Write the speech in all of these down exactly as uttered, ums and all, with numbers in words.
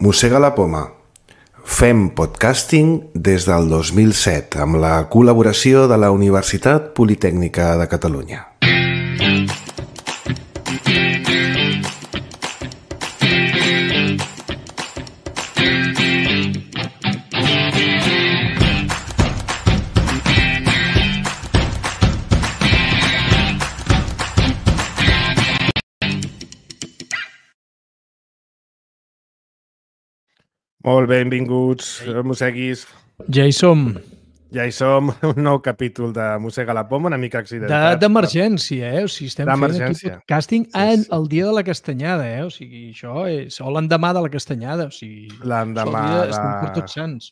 Mossega la poma. Fem podcasting des del dos mil set amb la col·laboració de la Universitat Politècnica de Catalunya. Molt benvinguts, mosseguis. Ja hi som. Ja hi som, un nou capítol de Mossega la poma, una mica accidentat. D'emergència, eh? O sigui, estem fent aquí podcasting Sí, en sí. el dia de la castanyada, eh? O sigui, això és o l'endemà de la castanyada, o sigui... L'endemà això el dia de- estem per tots sants.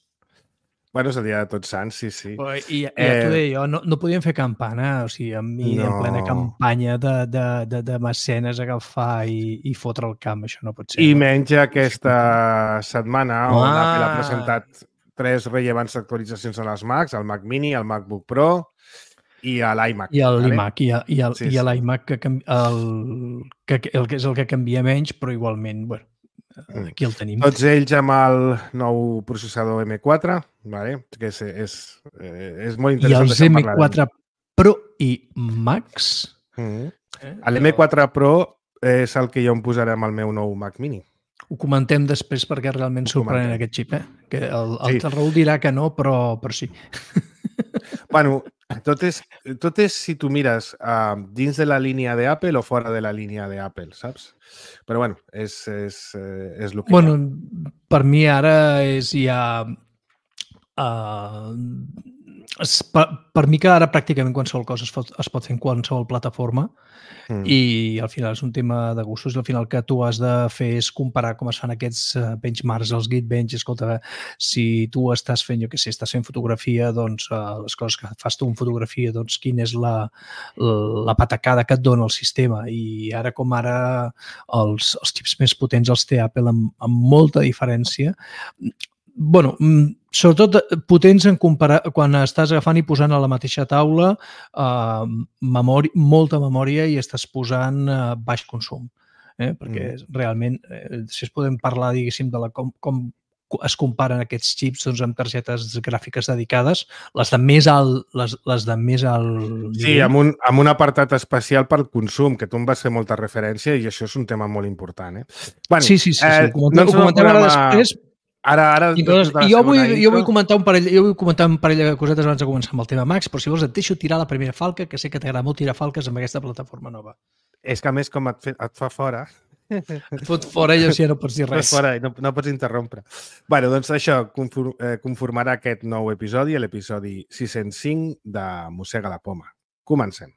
Bueno, és el dia de Tots Sants, sí, sí. Però, I ja Eh, t'ho deia jo, no, no podíem fer campana, o sigui, amb mi en No. plena campanya de, de, de, de mecenes agafar i, i fotre el camp, això no pot ser. I no? menys aquesta setmana on Ah. Apple ha presentat tres rellevants actualitzacions en els Macs, el Mac Mini, el MacBook Pro i l'iMac. I vale? l'iMac, i, el- i, el, Sí, i sí. l'iMac, que, canvi- el, que, el que és el que canvia menys, però igualment, bueno, aquí el tenim. Tots ells amb el nou processador M quatre, vale? que és, és, eh, és molt I interessant. els d'això en M parlarem. quatre Pro i Max... Mhm. Eh? L'M quatre Pro és el que jo em posaré amb el meu nou Mac Mini. Ho comentem després perquè realment Ho sorprenent comentem. aquest xip, eh? Que el, el, Sí. el Raül dirà que no, però, però sí. Bueno, tot és, tot és si tu mires uh, dins de la línia d'Apple o fora de la línia d'Apple, saps? Però bueno, és, és, eh, és el que Bueno, hi ha. per mi ara és ja... Uh, es, per, per mi que ara pràcticament qualsevol cosa es pot, es pot fer en qualsevol plataforma Mm. i al final és un tema de gustos i al final que tu has de fer és comparar com es fan aquests eh, benchmarks, els Geekbench. Escolta, si tu estàs fent, jo què sé, estàs fent fotografia, doncs eh, les coses que fas tu en fotografia, doncs quina és la, la patacada que et dona el sistema. I ara com ara els, els xips més potents els té Apple amb, amb molta diferència. Bueno, mm, sobretot potents en comparar, quan estàs agafant i posant a la mateixa taula eh, memòria, molta memòria i estàs posant eh, baix consum. Eh? Perquè Mm. realment, eh, si es podem parlar, diguéssim, de la, com, com es comparen aquests xips doncs, amb targetes gràfiques dedicades, les de més alt, les, les de més alt Sí, nivell. amb un, amb un apartat especial per consum, que tu em vas fer molta referència i això és un tema molt important. Eh? Bueno, Sí, sí, sí, sí. eh, Ho comentem, ens ho comentem ara podem, eh, després. Ara, ara, I, doncs, després de la i jo, vull, segona jo vull intro- comentar un parell, jo vull comentar un parell de cosetes abans de començar amb el tema Max, però si vols et deixo tirar la primera falca, que sé que t'agrada molt tirar falques amb aquesta plataforma nova. És que a més com et, fe, et fa fora, Et fot fora i així ja no pots dir et res. fa fora i no, no pots interrompre. Bueno, doncs això confor, eh, conformarà aquest nou episodi, l'episodi sis-cents cinc de Mossega la poma. Comencem.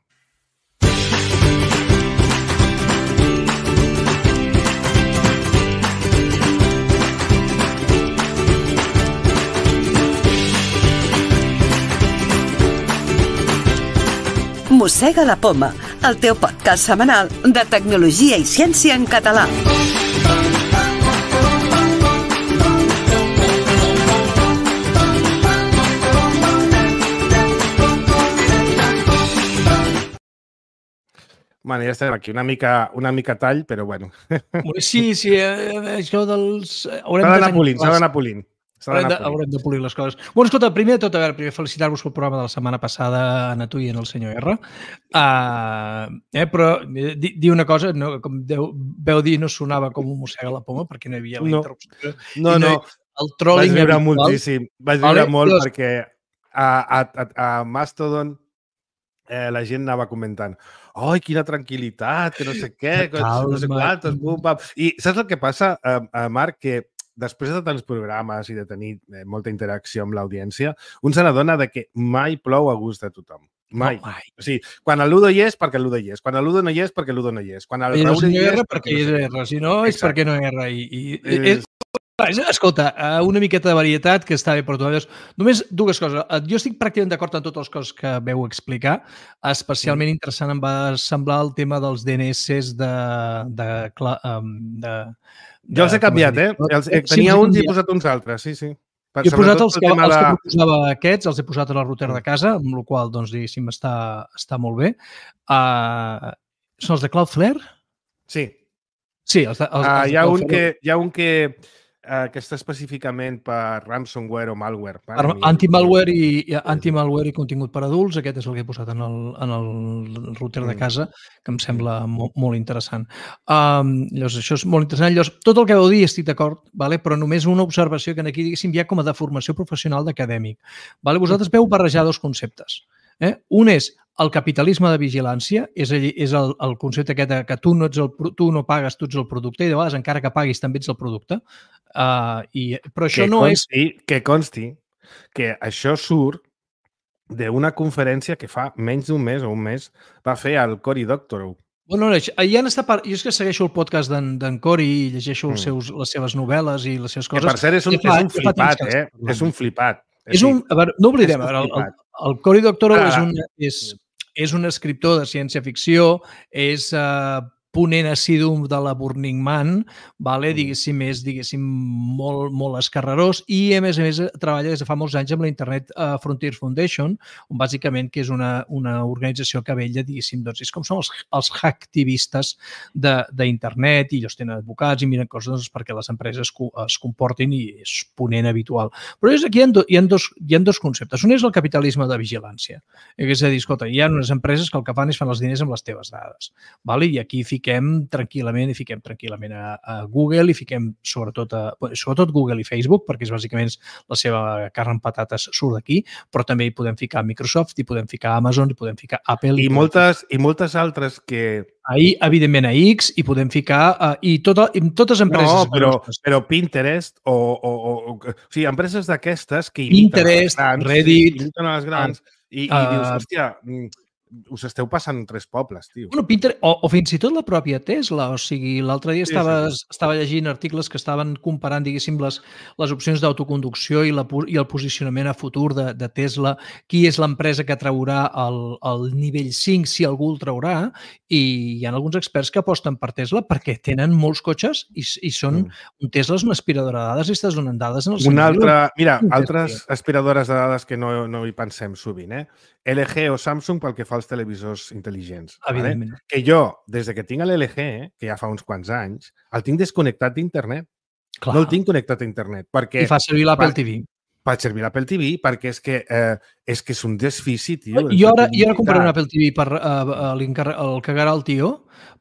Mossega la poma, el teu podcast setmanal de tecnologia i ciència en català. Bueno, ja estem aquí, una mica, una mica tall, però bueno. Sí, sí, eh, això dels... eh, Haurem S'ha de d'anar tenir polint, s'ha clars. d'anar polint. S'ha Haurem d'anar de, polint. haurem de polir les coses. Bueno, escolta, primer de tot, a veure, primer felicitar-vos pel programa de la setmana passada a tu i en el senyor R. Uh, eh, però eh, di, di una cosa, no, com deu, veu dir, no sonava com un mossega la poma perquè no hi havia la No. interrupció. No, I no, El vaig trolling viure habitual. moltíssim. Vaig viure Vale, molt doncs- perquè a, a, a, a Mastodon eh, la gent anava comentant ai, quina tranquil·litat, que no sé què, que no sé Calma. quantos, bum, bam. I saps el que passa, eh, eh, Marc? Que després de tants programes i de tenir eh, molta interacció amb l'audiència, un se n'adona de que mai plou a gust de tothom. Mai. No, mai. O sigui, quan el Ludo hi és, perquè el Ludo hi és. Quan el Ludo no hi és, perquè el Ludo no hi és. Quan el I el Raül hi senyor és, R perquè hi no sé és què. R, si no és Exacte. perquè no hi ha R. I, i, És- és, escolta, eh, una miqueta de varietat que està bé per tu. Només dues coses. Eh, Jo estic pràcticament d'acord amb totes les coses que veu explicar. Especialment interessant em va semblar el tema dels D N S de... de, cla- em, de, de Jo els he com es canviat, diu? eh? Els, eh Sí, tenia els he uns i he canviat. posat uns altres, sí, sí. Per, Jo he posat sobretot els pel que, tema els que de- proposava aquests, els he posat en el router de casa, amb la qual doncs, diguéssim, està, està molt bé. Uh, són els de Cloudflare? Sí. Sí, els de, els, Ah, els hi, ha de un Cloudflare. que, hi ha un que eh, que està específicament per ransomware o malware. Per anti-malware i, i anti-malware i contingut per adults, aquest és el que he posat en el, en el router de casa, que em sembla molt, molt interessant. Um, llavors, això és molt interessant. Llavors, tot el que vau dir estic d'acord, vale? Però només una observació que aquí, diguéssim, hi ha com a de formació professional d'acadèmic. Vale? Vosaltres veu barrejar dos conceptes. Eh? Un és el capitalisme de vigilància, és, és el, el concepte aquest que tu no, ets el, tu no pagues, tu ets el producte, i de vegades, encara que paguis, també ets el producte. Uh, i, però això que no consti, és... Que consti que això surt d'una conferència que fa menys d'un mes o un mes va fer el Cory Doctorow. Bueno, hi han estat part... Jo és que segueixo el podcast d'en Cory i llegeixo els seus, les seves novel·les i les seves coses. Que per cert és un, fa, és un flipat, eh? És un flipat. És un, a veure, no oblidem, el, el, el Cory Doctorow és un, és, és un escriptor de ciència-ficció, és uh, ponent assidu de la Burning Man, vale? Diguéssim, és diguéssim, molt, molt escarrerós i, a més a més, treballa des de fa molts anys amb la Internet uh, Frontiers Foundation, on bàsicament que és una, una organització que vetlla, diguéssim, doncs, és com són els, els hacktivistes d'internet i ells tenen advocats i miren coses doncs, perquè les empreses es comportin i és ponent habitual. Però és aquí hi ha, do, hi, ha dos, hi ha dos conceptes. Un és el capitalisme de vigilància. És a dir, escolta, hi ha unes empreses que el que fan és fan els diners amb les teves dades. Vale? I aquí fiquem tranquil·lament i fiquem tranquil·lament a, a Google i fiquem sobretot, a, sobretot Google i Facebook, perquè és bàsicament la seva carn amb patates surt d'aquí, però també hi podem ficar Microsoft, hi podem ficar Amazon, hi podem ficar Apple. I, moltes, i moltes altres que... Ahir, evidentment, a X, hi podem ficar... Uh, I, tota, i totes empreses... No, però, però Pinterest o, o, o, o... O sigui, empreses d'aquestes que imiten Pinterest, a les grans, Reddit... Sí, imiten a les grans uh, i, i uh, dius, hòstia... us esteu passant tres pobles, tio. Bueno, Pinterest, o, o fins i tot la pròpia Tesla, o sigui, l'altre dia sí, estava, sí. estava llegint articles que estaven comparant, diguéssim, les, les opcions d'autoconducció i, la, i el posicionament a futur de, de Tesla, qui és l'empresa que traurà el, el nivell cinc, si algú el traurà, i hi ha alguns experts que aposten per Tesla perquè tenen molts cotxes i, i són, mm. un Tesla és una aspiradora de dades i estàs donant dades en el Una altra, mira, altres aspiradores de dades que no, no hi pensem sovint, eh? L G o Samsung pel que fa als televisors intel·ligents. Evidentment. Vale? Que jo, des de que tinc l'L G, que ja fa uns quants anys, el tinc desconnectat d'internet. No el tinc connectat a internet. Perquè, I fa servir l'Apple T V. Fa servir l'Apple T V perquè és que, eh, és que és un desfici, tio. Jo ara, jo ara compraré un Apple T V per uh, el cagarà el tio,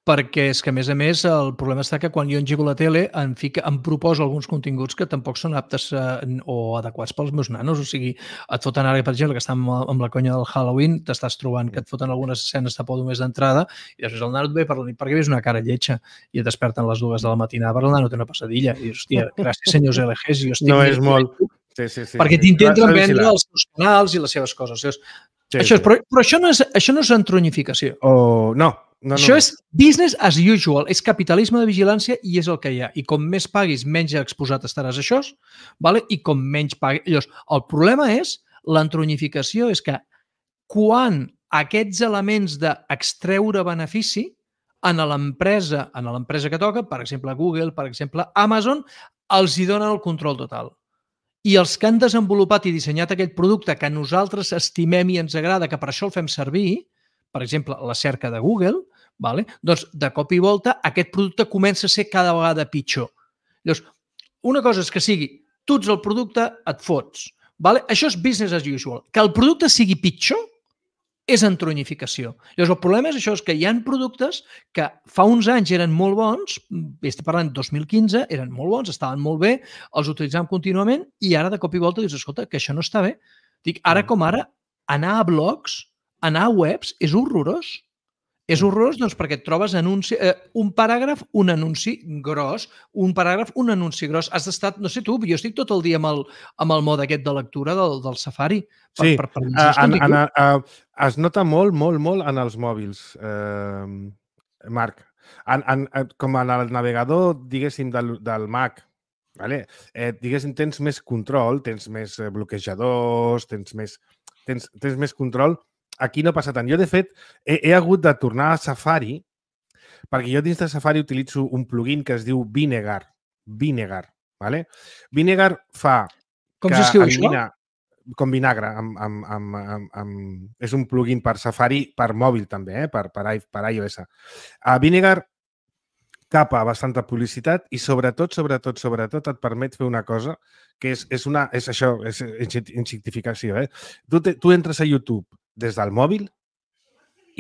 perquè és que, a més a més, el problema està que quan jo engego la tele em, fica, em proposa alguns continguts que tampoc són aptes uh, o adequats pels meus nanos. O sigui, et foten ara, per exemple, que està amb, amb la conya del Halloween, t'estàs trobant que et foten algunes escenes de por només d'entrada i després el nano et ve per la nit perquè veus una cara lletja i et desperten a les dues de la matinada perquè el nano té una passadilla. I dius, hòstia, gràcies senyors L Gs. Jo estic no és molt... Sí, sí, sí, perquè sí. t'intenten vendre els seus canals i les seves coses. Sí, això és, sí. Però, però això no és, això no és entronificació. Oh, no. No, això no. és business as usual, és capitalisme de vigilància i és el que hi ha. I com més paguis, menys exposat estaràs a això, vale? I com menys paguis... Llavors, el problema és, l'entronificació és que quan aquests elements d'extreure benefici en l'empresa en l'empresa que toca, per exemple Google, per exemple Amazon, els hi donen el control total. I els que han desenvolupat i dissenyat aquest producte que nosaltres estimem i ens agrada, que per això el fem servir, per exemple, la cerca de Google, vale? Doncs de cop i volta aquest producte comença a ser cada vegada pitjor. Llavors, una cosa és que sigui, tu ets el producte, et fots. Vale? Això és business as usual. Que el producte sigui pitjor és entronificació. Llavors, el problema és això, és que hi ha productes que fa uns anys eren molt bons, estic parlant dos mil quinze, eren molt bons, estaven molt bé, els utilitzàvem contínuament i ara de cop i volta dius, escolta, que això no està bé. Dic, ara com ara, anar a blogs, anar a webs és horrorós. És horrorós doncs, perquè et trobes anunci, eh, un paràgraf, un anunci gros, un paràgraf, un anunci gros. Has d'estar, no sé tu, jo estic tot el dia amb el, amb el mode aquest de lectura del, del Safari. Per, sí, per, per, per uh, en, en, uh, es nota molt, molt, molt en els mòbils, uh, Marc. En, en, com en el navegador, diguéssim, del, del Mac, vale? eh, diguéssim, tens més control, tens més bloquejadors, tens més, tens, tens més control. Aquí no passa tant. Jo, de fet, he, he hagut de tornar a Safari perquè jo dins de Safari utilitzo un plugin que es diu Vinegar. Vinegar, vale? Vinegar fa... Com s'escriu això? Com vinagre. Amb, amb, amb, amb, amb... És un plugin per Safari, per mòbil també, eh? per, per, per iOS. Uh, Vinegar capa bastanta publicitat i sobretot, sobretot, sobretot et permet fer una cosa que és, és, una, és això, és insignificació. Eh? Tu, te, tu entres a YouTube des del mòbil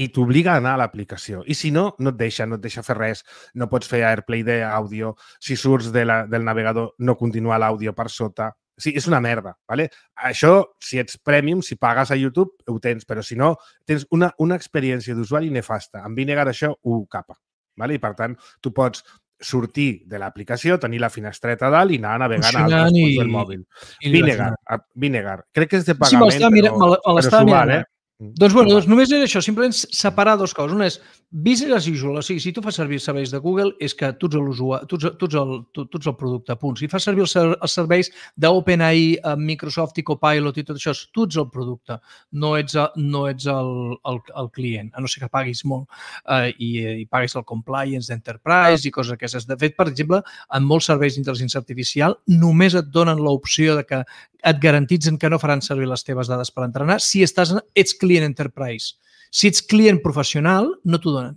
i t'obliga a anar a l'aplicació. I si no, no et deixa, no et deixa fer res. No pots fer AirPlay d'àudio. Si surts de la, del navegador, no continua l'àudio per sota. Sí, és una merda, ¿vale? Això, si ets premium, si pagues a YouTube, ho tens, però si no, tens una, una experiència d'usuari nefasta. Amb Vinegar això ho capa, ¿vale? I per tant, tu pots sortir de l'aplicació, tenir la finestreta a dalt i anar navegant a altres punts del mòbil. Vinegar, Vinegar. Crec que és de pagament, sí, però, però, però s'ho val, eh? Doncs, bueno, doncs només era això, simplement separar dues coses. Una és business as usual, o sigui, si tu fas servir els serveis de Google és que tu ets l'usuari, tu, tu, el, tu, tu ets el producte, punt. Si fas servir els, els serveis d'OpenAI, Microsoft i Copilot i tot això, tu ets el producte, no ets, no ets el, el, el client, a no ser que paguis molt eh, i, i paguis el compliance d'Enterprise i coses aquestes. De fet, per exemple, en molts serveis d'intel·ligència artificial només et donen l'opció de que et garantitzen que no faran servir les teves dades per entrenar si estàs, ets client enterprise. Si ets client professional, no t'ho donen.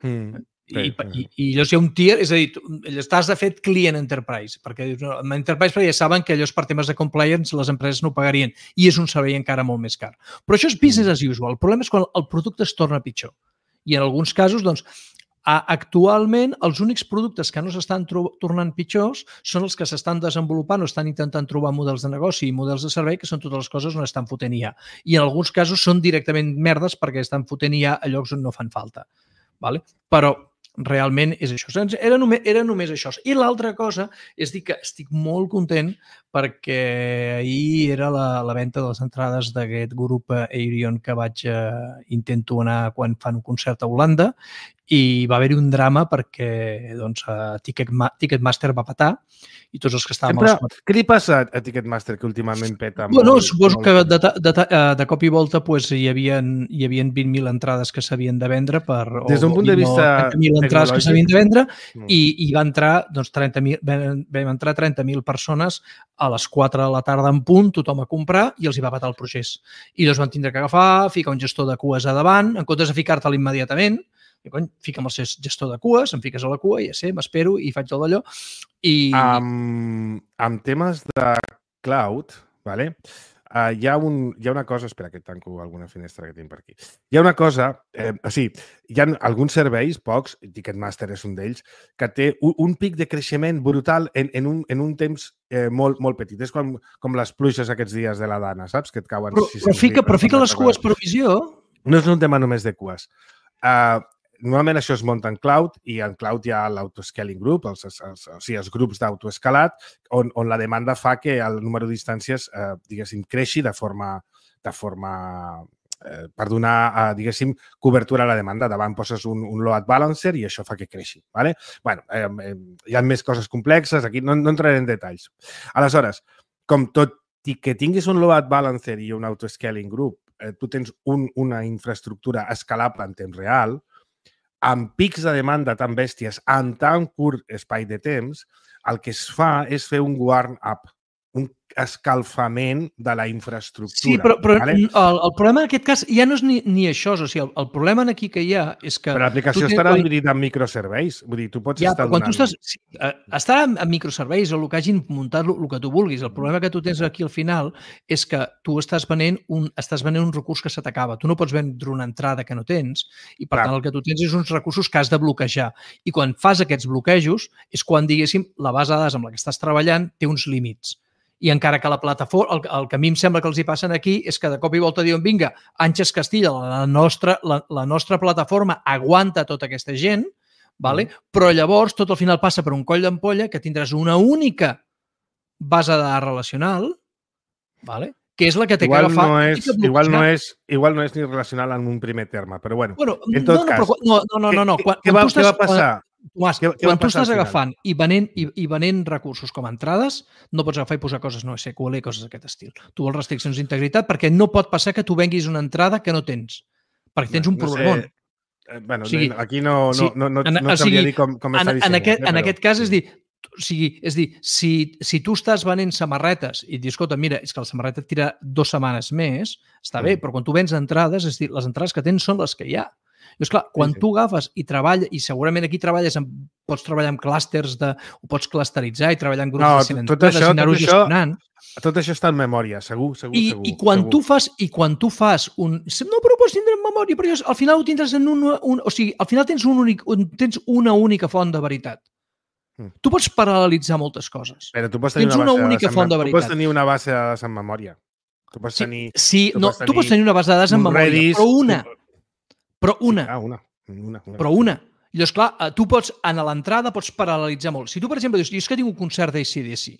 Mm, I, i, I llavors hi ha un tier, és a dir, estàs de fet client enterprise, perquè en enterprise perquè ja saben que allò és per temes de compliance, les empreses no ho pagarien i és un servei encara molt més car. Però això és business as usual. El problema és quan el producte es torna pitjor. I en alguns casos, doncs, actualment, els únics productes que no s'estan tornant pitjors són els que s'estan desenvolupant o estan intentant trobar models de negoci i models de servei que són totes les coses on estan fotent I A. I en alguns casos són directament merdes perquè estan fotent I A a llocs on no fan falta. Vale? Però realment és això. Era només, era només això. I l'altra cosa és dir que estic molt content perquè ahir era la, la venda de les entrades d'aquest grup Aerion que vaig eh, intento anar quan fan un concert a Holanda i va haver-hi un drama perquè doncs, Ticketmaster va petar i tots els que estàvem... Sempre, a les... Què li passa a Ticketmaster que últimament peta? Bueno, molt, suposo molt... que de, de, de, de cop i volta pues, hi havia, hi havia vint mil entrades que s'havien de vendre per... Des d'un punt de vista trenta mil entrades que s'havien de vendre mm. i, i va entrar, doncs, trenta mil, vam entrar trenta mil persones a les quatre de la tarda en punt, tothom a comprar i els hi va patar el procés. I doncs van tindre que agafar, ficar un gestor de cues a davant, en comptes de ficar-te'l immediatament, i cony, fica'm el gestor de cues, em fiques a la cua i ja sé, m'espero i faig tot d'allò. I... Amb, amb temes de cloud, vale? uh, hi, ha un, hi ha una cosa... Espera, que tanco alguna finestra que tinc per aquí. Hi ha una cosa... Eh, o sigui, hi ha alguns serveis, pocs, Ticketmaster és un d'ells, que té un, un pic de creixement brutal en, en, un, en un temps eh, molt, molt petit. És com, com les pluges aquests dies de la Dana, saps? Que et cauen... Però, però, fica, però fica les cues per visió. No és un tema només de cues. Uh, Normalment això es munta en cloud i en cloud hi ha l'autoscaling group, els, els, els, o sigui, els grups d'autoescalat, on, on la demanda fa que el número d'instàncies, eh, diguéssim, creixi de forma, de forma eh, per donar, eh, diguéssim, cobertura a la demanda. Davant poses un, un load balancer i això fa que creixi. ¿Vale? Bueno, eh, eh, hi ha més coses complexes, aquí no, no entraré en detalls. Aleshores, com tot i que tinguis un load balancer i un autoscaling group, eh, tu tens un, una infraestructura escalable en temps real, amb pics de demanda tan bèsties en tan curt espai de temps, el que es fa és fer un warm-up, un escalfament de la infraestructura. Sí, però, però ¿vale? el, el problema en aquest cas ja no és ni, ni això. O sigui, el, el problema aquí que hi ha és que... Però l'aplicació estarà quan... dividida en microserveis. Vull dir, tu pots ja, estar quan donant... tu estàs... Sí, estarà en microserveis o el que hagin muntat, el que tu vulguis. El problema que tu tens aquí al final és que tu estàs venent un, estàs venent un recurs que se t'acaba. Tu no pots vendre una entrada que no tens i, per Clar. tant, el que tu tens és uns recursos que has de bloquejar. I quan fas aquests bloquejos és quan, diguéssim, la base de dades amb la que estàs treballant té uns límits. I encara que la plataforma, el, el que a mi em sembla que els hi passen aquí és que de cop i volta diuen vinga, Àngels Castilla, la nostra, la, la nostra plataforma aguanta tota aquesta gent, vale? Mm. Però llavors tot al final passa per un coll d'ampolla que tindràs una única base de dades relacional, vale? Que és la que té igual que agafar... No és, igual, no és, igual no és ni relacional en un primer terme, però bueno, bueno en tot no, no, cas... Però, no, no, no, no. Quan, què, quan va, tu estàs, què va passar? Tomàs, què, què quan tu estàs agafant final? i venent, i, i venent recursos com a entrades, no pots agafar i posar coses no S Q L i coses d'aquest estil. Tu vols restriccions d'integritat perquè no pot passar que tu venguis una entrada que no tens, perquè tens un no problemon. Sé. Bueno, o sigui, aquí no, no, no, no, en, no o sigui, dir com, com està en, dissenyat. En aquest, eh, en aquest cas, és dir, o sigui, és dir si, si tu estàs venent samarretes i dius, escolta, mira, és que la samarreta et tira dues setmanes més, està mm. bé, però quan tu vens entrades, és dir, les entrades que tens són les que hi ha. Llavors, clar, quan Sí, sí. tu agafes i treballes, i segurament aquí treballes amb, pots treballar amb clústers, de, ho pots clusteritzar i treballar en grups No, de tot cent tot entrades això, i anar-ho tot això, gestionant. tot això està en memòria, segur, segur, I, segur. i, quan segur. tu fas, I quan tu fas un... No, però ho pots tindre en memòria, però al final ho tindràs en un... un o sigui, al final tens, un únic, un, tens una única font de veritat. Mm. Tu pots paral·lelitzar moltes coses. Però tu pots tenir Tens una, una base única de dades font de en, tu pots veritat. tenir una base de dades en memòria. Tu pots Sí, tenir... sí tu no, pots tu pots tenir una base de dades en un memòria, Redis, però una. tu- Però una. Sí, ah, una. una, una. Però una. Llavors, clar, eh, tu pots, en l'entrada, pots paral·lelitzar molt. Si tu, per exemple, dius, jo és que tinc un concert d'A C D C.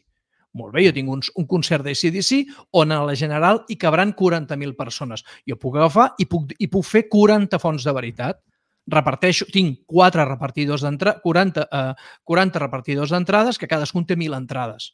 Molt bé, jo tinc un, un concert d'A C D C on a la general hi cabran quaranta mil persones. Jo puc agafar i puc, i puc fer quaranta fonts de veritat. Reparteixo, tinc quatre repartidors d'entrada, quaranta, eh, quaranta repartidors d'entrades, que cadascun té mil entrades.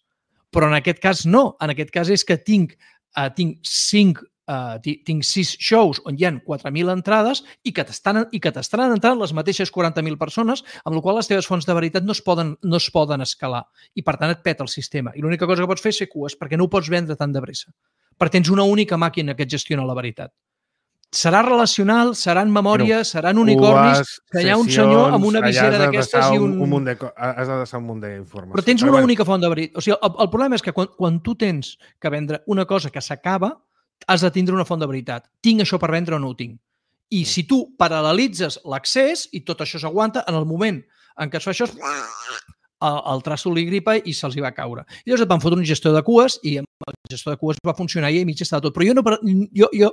Però en aquest cas no. En aquest cas és que tinc, eh, tinc cinc Uh, tinc sis shows on hi ha quatre mil entrades i que t'estan i que t'estaran entrant les mateixes quaranta mil persones, amb la qual les teves fonts de veritat no es poden, no es poden escalar i per tant et peta el sistema. I l'única cosa que pots fer és fer cues perquè no ho pots vendre tan de pressa. Perquè tens una única màquina que et gestiona la veritat. Serà relacional, serà en memòria, bueno, seran unicornis, que hi ha un senyor amb una visera d'aquestes i un... un munt de, has de deixar un munt d'informació. Però tens una bueno. única font de veritat. O sigui, el, el problema és que quan, quan tu tens que vendre una cosa que s'acaba, has de tindre una font de veritat. Tinc això per vendre o no ho tinc? I si tu paral·lelitzes l'accés i tot això s'aguanta, en el moment en què es fa això, el, el traço li gripa i se'ls hi va caure. I llavors et van fotre un gestor de cues i amb el gestor de cues va funcionar i a mig estava tot. Però jo, no, jo, jo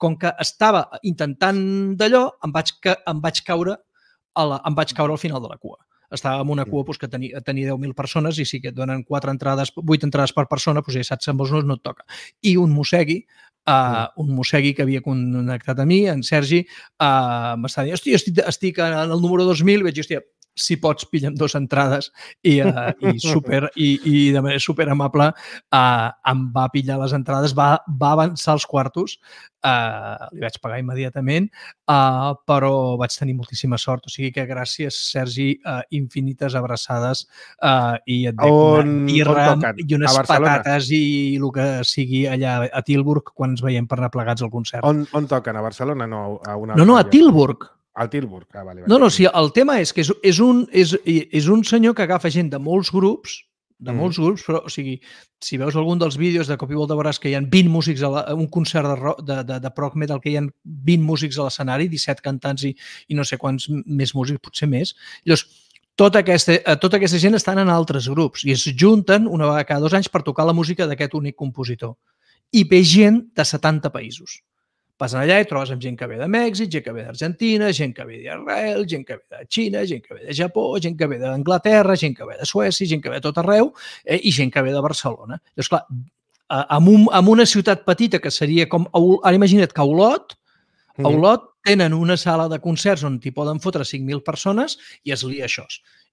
com que estava intentant d'allò, em, vaig, em, vaig caure a la, em vaig caure al final de la cua. Estava en una cua doncs, que tenia, tenia deu mil persones i si que et donen quatre entrades, vuit entrades per persona, doncs ja saps, amb els no et toca. I un mossegui, uh, un mossegui que havia connectat a mi, en Sergi, uh, m'estava dient, hòstia, estic, estic en el número dos mil, i vaig dir, hòstia, si pots, pilla'm dues entrades i, uh, i, super, i, i de manera super amable uh, em va pillar les entrades, va, va avançar els quartos, uh, li vaig pagar immediatament, uh, però vaig tenir moltíssima sort. O sigui que gràcies, Sergi, uh, infinites abraçades uh, i et dec una birra i unes patates i el que sigui allà a Tilburg quan ens veiem per anar plegats al concert. On, on toquen? A Barcelona? No, a una no, no, a Tilburg. Al Tilburg. Ah, vale, vale. No, no, sí, el tema és que és, és, un, és, és un senyor que agafa gent de molts grups, de molts mm. grups, però, o sigui, si veus algun dels vídeos de Cop i Volta veuràs que hi ha vint músics a la, un concert de, rock, de, de, de prog metal que hi ha vint músics a l'escenari, disset cantants i, i no sé quants més músics, potser més. Llavors, tota aquesta, tota aquesta gent estan en altres grups i es junten una vegada cada dos anys per tocar la música d'aquest únic compositor. I ve gent de setanta països. Passen allà i trobes amb gent que ve de Mèxic, gent que ve d'Argentina, gent que ve d'Israel, gent que ve de Xina, gent que ve de Japó, gent que ve d'Anglaterra, gent que ve de Suècia, gent que ve de tot arreu eh, i gent que ve de Barcelona. Llavors, clar, amb, un, amb una ciutat petita que seria com... Ara imagina't que a Olot, a Olot tenen una sala de concerts on t'hi poden fotre cinc mil persones i es lia això.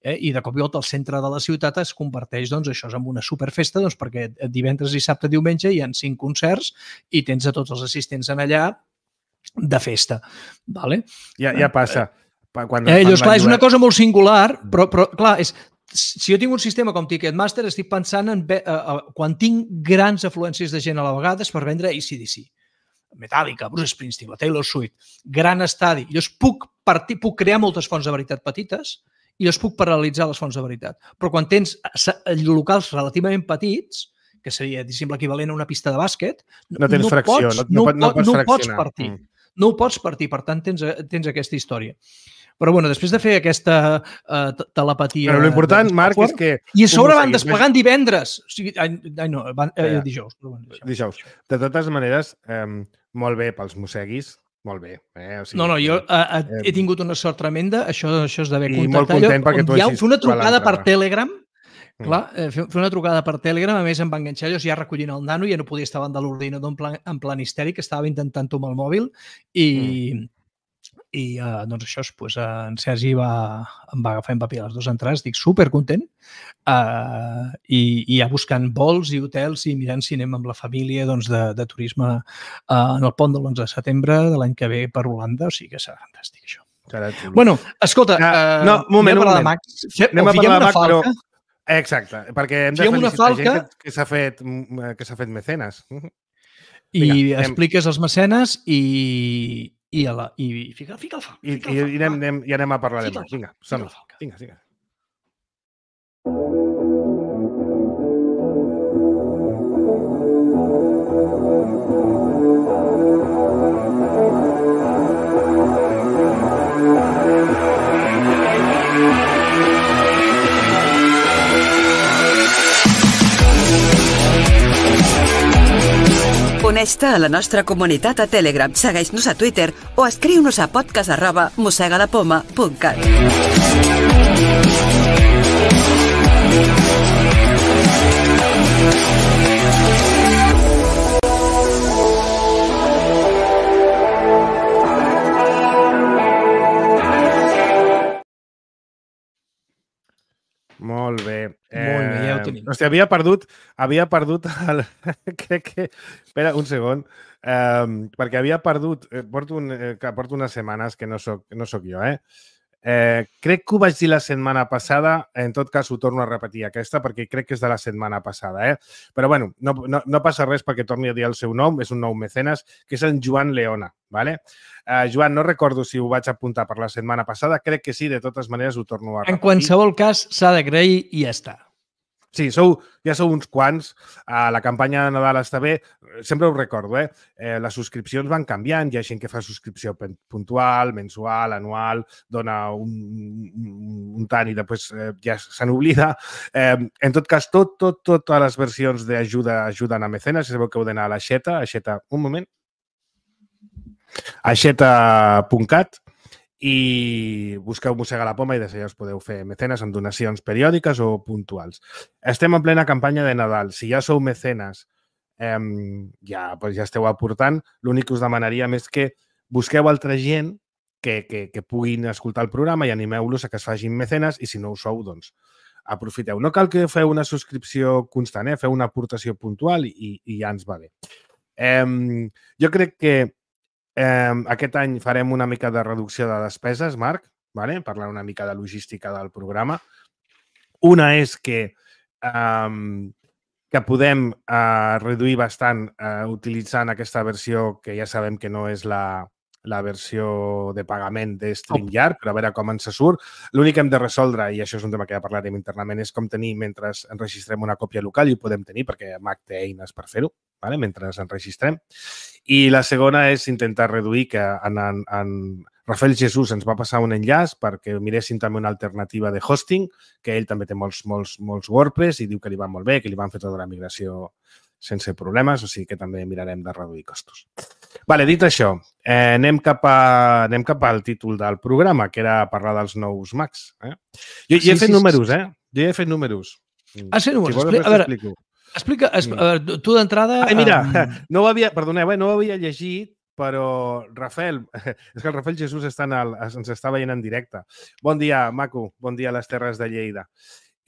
Eh? I de cop i volta al centre de la ciutat es converteix doncs, això en una superfesta doncs, perquè divendres, dissabte, diumenge hi ha cinc concerts i tens a tots els assistents en allà de festa. Vale? Ja, ja passa. Quan eh, llavors, clar, és una cosa molt singular, però, però clar, és, si jo tinc un sistema com Ticketmaster, estic pensant en uh, uh, quan tinc grans afluències de gent a la vegada és per vendre A C D C. Metallica, Bruce Springsteen, la Taylor Swift, gran estadi. Llavors puc, partir, puc crear moltes fonts de veritat petites i llavors puc paral·lelitzar les fonts de veritat. Però quan tens locals relativament petits, que seria, diguéssim, l'equivalent a una pista de bàsquet, no tens no fracció, pots, no, no, no, pots, no pots partir. Mm. No ho pots partir, per tant, tens, tens aquesta història. Però, bueno, després de fer aquesta uh, telepatia... Però l'important, Marc, és que... I a sobre van desplegant divendres. O sigui, ai, ai no, van, eh, ja. dijous. Però bueno, dijous. De totes maneres, eh, molt bé pels mosseguis, molt bé. Eh? O sigui, no, no, jo eh, eh, he tingut una sort tremenda, això, això és d'haver contactat. I molt content perquè tu hagis... Fer una trucada per Telegram, clar, eh, fer una trucada per Telegram, a més em va enganxar, jo ja recollint el nano, ja no podia estar davant de l'ordinador en plan, en plan histèric, estava intentant-ho amb el mòbil i... Mm. I uh, doncs això, pues, uh, en Sergi va, em va agafar en paper les dues entrades, estic supercontent uh, i, i ja buscant vols i hotels i mirant cinema amb la família doncs, de, de turisme uh, en el pont de l'onze de setembre de l'any que ve per Holanda, o sigui que serà fantàstic això. Serà bueno, escolta, uh, no, moment, anem a parlar de Mac. Anem a parlar de Mac, però... Exacte, perquè hem de felicitar falca... gent que, que s'ha fet, que s'ha fet mecenes. I Vinga, expliques els mecenes i, i, a la, i fica, fica el Falca. I, fica i, el Falca, i, anem, anem, i anem a parlar de Fica el molt. Vinga, Falca, som fica el Falca. Vinga, vinga. Uneix-te a la nostra comunitat a Telegram, segueix-nos a Twitter o escriu-nos a podcast arroba mossegadapoma punt cat. Molt bé. Molt bé, ja ho tenim. Hòstia, havia perdut, havia perdut el... Crec que... Espera, un segon. Um, perquè havia perdut... Eh, porto, un, eh, que porto unes setmanes que no soc, no soc jo, eh? Eh, crec que ho vaig dir la setmana passada, en tot cas ho torno a repetir aquesta perquè crec que és de la setmana passada, eh? Però bueno, no, no, no passa res perquè torni a dir el seu nom, és un nou mecenes, que és en Joan Leona, ¿vale? Eh, Joan, no recordo si ho vaig apuntar per la setmana passada, crec que sí, de totes maneres ho torno a repetir. En qualsevol cas, s'ha d'agrair i ja està. Sí, sou, ja sou uns quants. Uh, la campanya de Nadal està bé. Sempre ho recordo, eh? eh? Les subscripcions van canviant. Hi ha gent que fa subscripció puntual, mensual, anual, dona un, un, un tant i després eh, ja se n'oblida. Eh, en tot cas, tot, tot, totes les versions d'ajuda ajuden a mecenes. Si sabeu que heu d'anar a l'Aixeta, Aixeta, un moment, aixeta punt cat, i busqueu Mossega la Poma i des d'allà us podeu fer mecenes amb donacions periòdiques o puntuals. Estem en plena campanya de Nadal. Si ja sou mecenes, eh, ja, pues ja esteu aportant. L'únic que us demanaríem és que busqueu altra gent que, que, que puguin escoltar el programa i animeu-los a que es facin mecenes i si no ho sou, doncs aprofiteu. No cal que feu una subscripció constant, eh? Feu una aportació puntual i, i ja ens va bé. Eh, jo crec que Eh, aquest any farem una mica de reducció de despeses, Marc, vale? Parlar una mica de logística del programa. Una és que, eh, que podem eh, reduir bastant eh, utilitzant aquesta versió que ja sabem que no és la, la versió de pagament de StreamYard, però a veure com ens surt. L'únic que hem de resoldre, i això és un tema que ja parlarem internament, és com tenir, mentre enregistrem una còpia local, i ho podem tenir perquè Mac té eines per fer-ho, vale? Mentre enregistrem. I la segona és intentar reduir, que en, en, en Rafael Jesús ens va passar un enllaç perquè miréssim també una alternativa de hosting, que ell també té molts, molts, molts WordPress i diu que li va molt bé, que li van fer tota la migració sense problemes, o sigui que també mirarem de reduir costos. Vale, dit això, eh, anem, cap a, anem cap al títol del programa, que era parlar dels nous Macs. Eh? Jo, jo sí, he fet sí, números, sí. eh? Jo he fet números. Has fet números? Si vols, a veure, t'explico. Explica, es, mm. tu d'entrada... Ai, mira, um... no ho havia, perdoneu, eh, no ho havia llegit, però Rafael, és que el Rafael Jesús està en el, ens està veient en directe. Bon dia, maco, bon dia a les Terres de Lleida.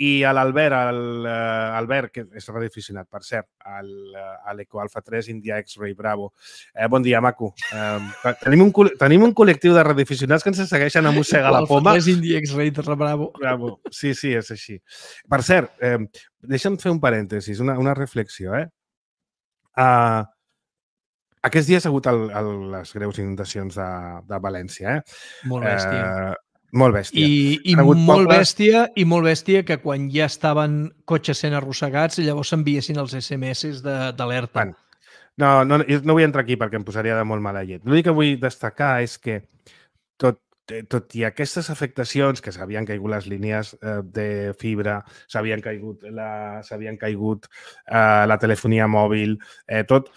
I a l'Albert, el, uh, Albert, que és radioaficionat, per cert, el, uh, a l'Eco Alfa tres India X-Ray Bravo. Eh, bon dia, maco. Eh, tenim, un, tenim un col·lectiu de radioaficionats que ens segueixen a Mossega la Poma. Alfa tres India X-Ray Bravo. Bravo. Sí, sí, és així. Per cert, eh, deixa'm fer un parèntesis, una, una reflexió. Eh? Uh, aquests dies ha hagut el, el, les greus inundacions de, de València. Eh? Molt bèstia. Eh, Molt bèstia. I, i molt pobles... bèstia i molt bèstia que quan ja estaven cotxes sent arrossegats llavors s'enviessin els S M S d'alerta. Bueno, no, no, no vull entrar aquí perquè em posaria de molt mala llet. L'únic que vull destacar és que tot, tot i aquestes afectacions, que s'havien caigut les línies eh, de fibra, s'havien caigut, la, s'havien caigut eh, la telefonia mòbil, eh, tot,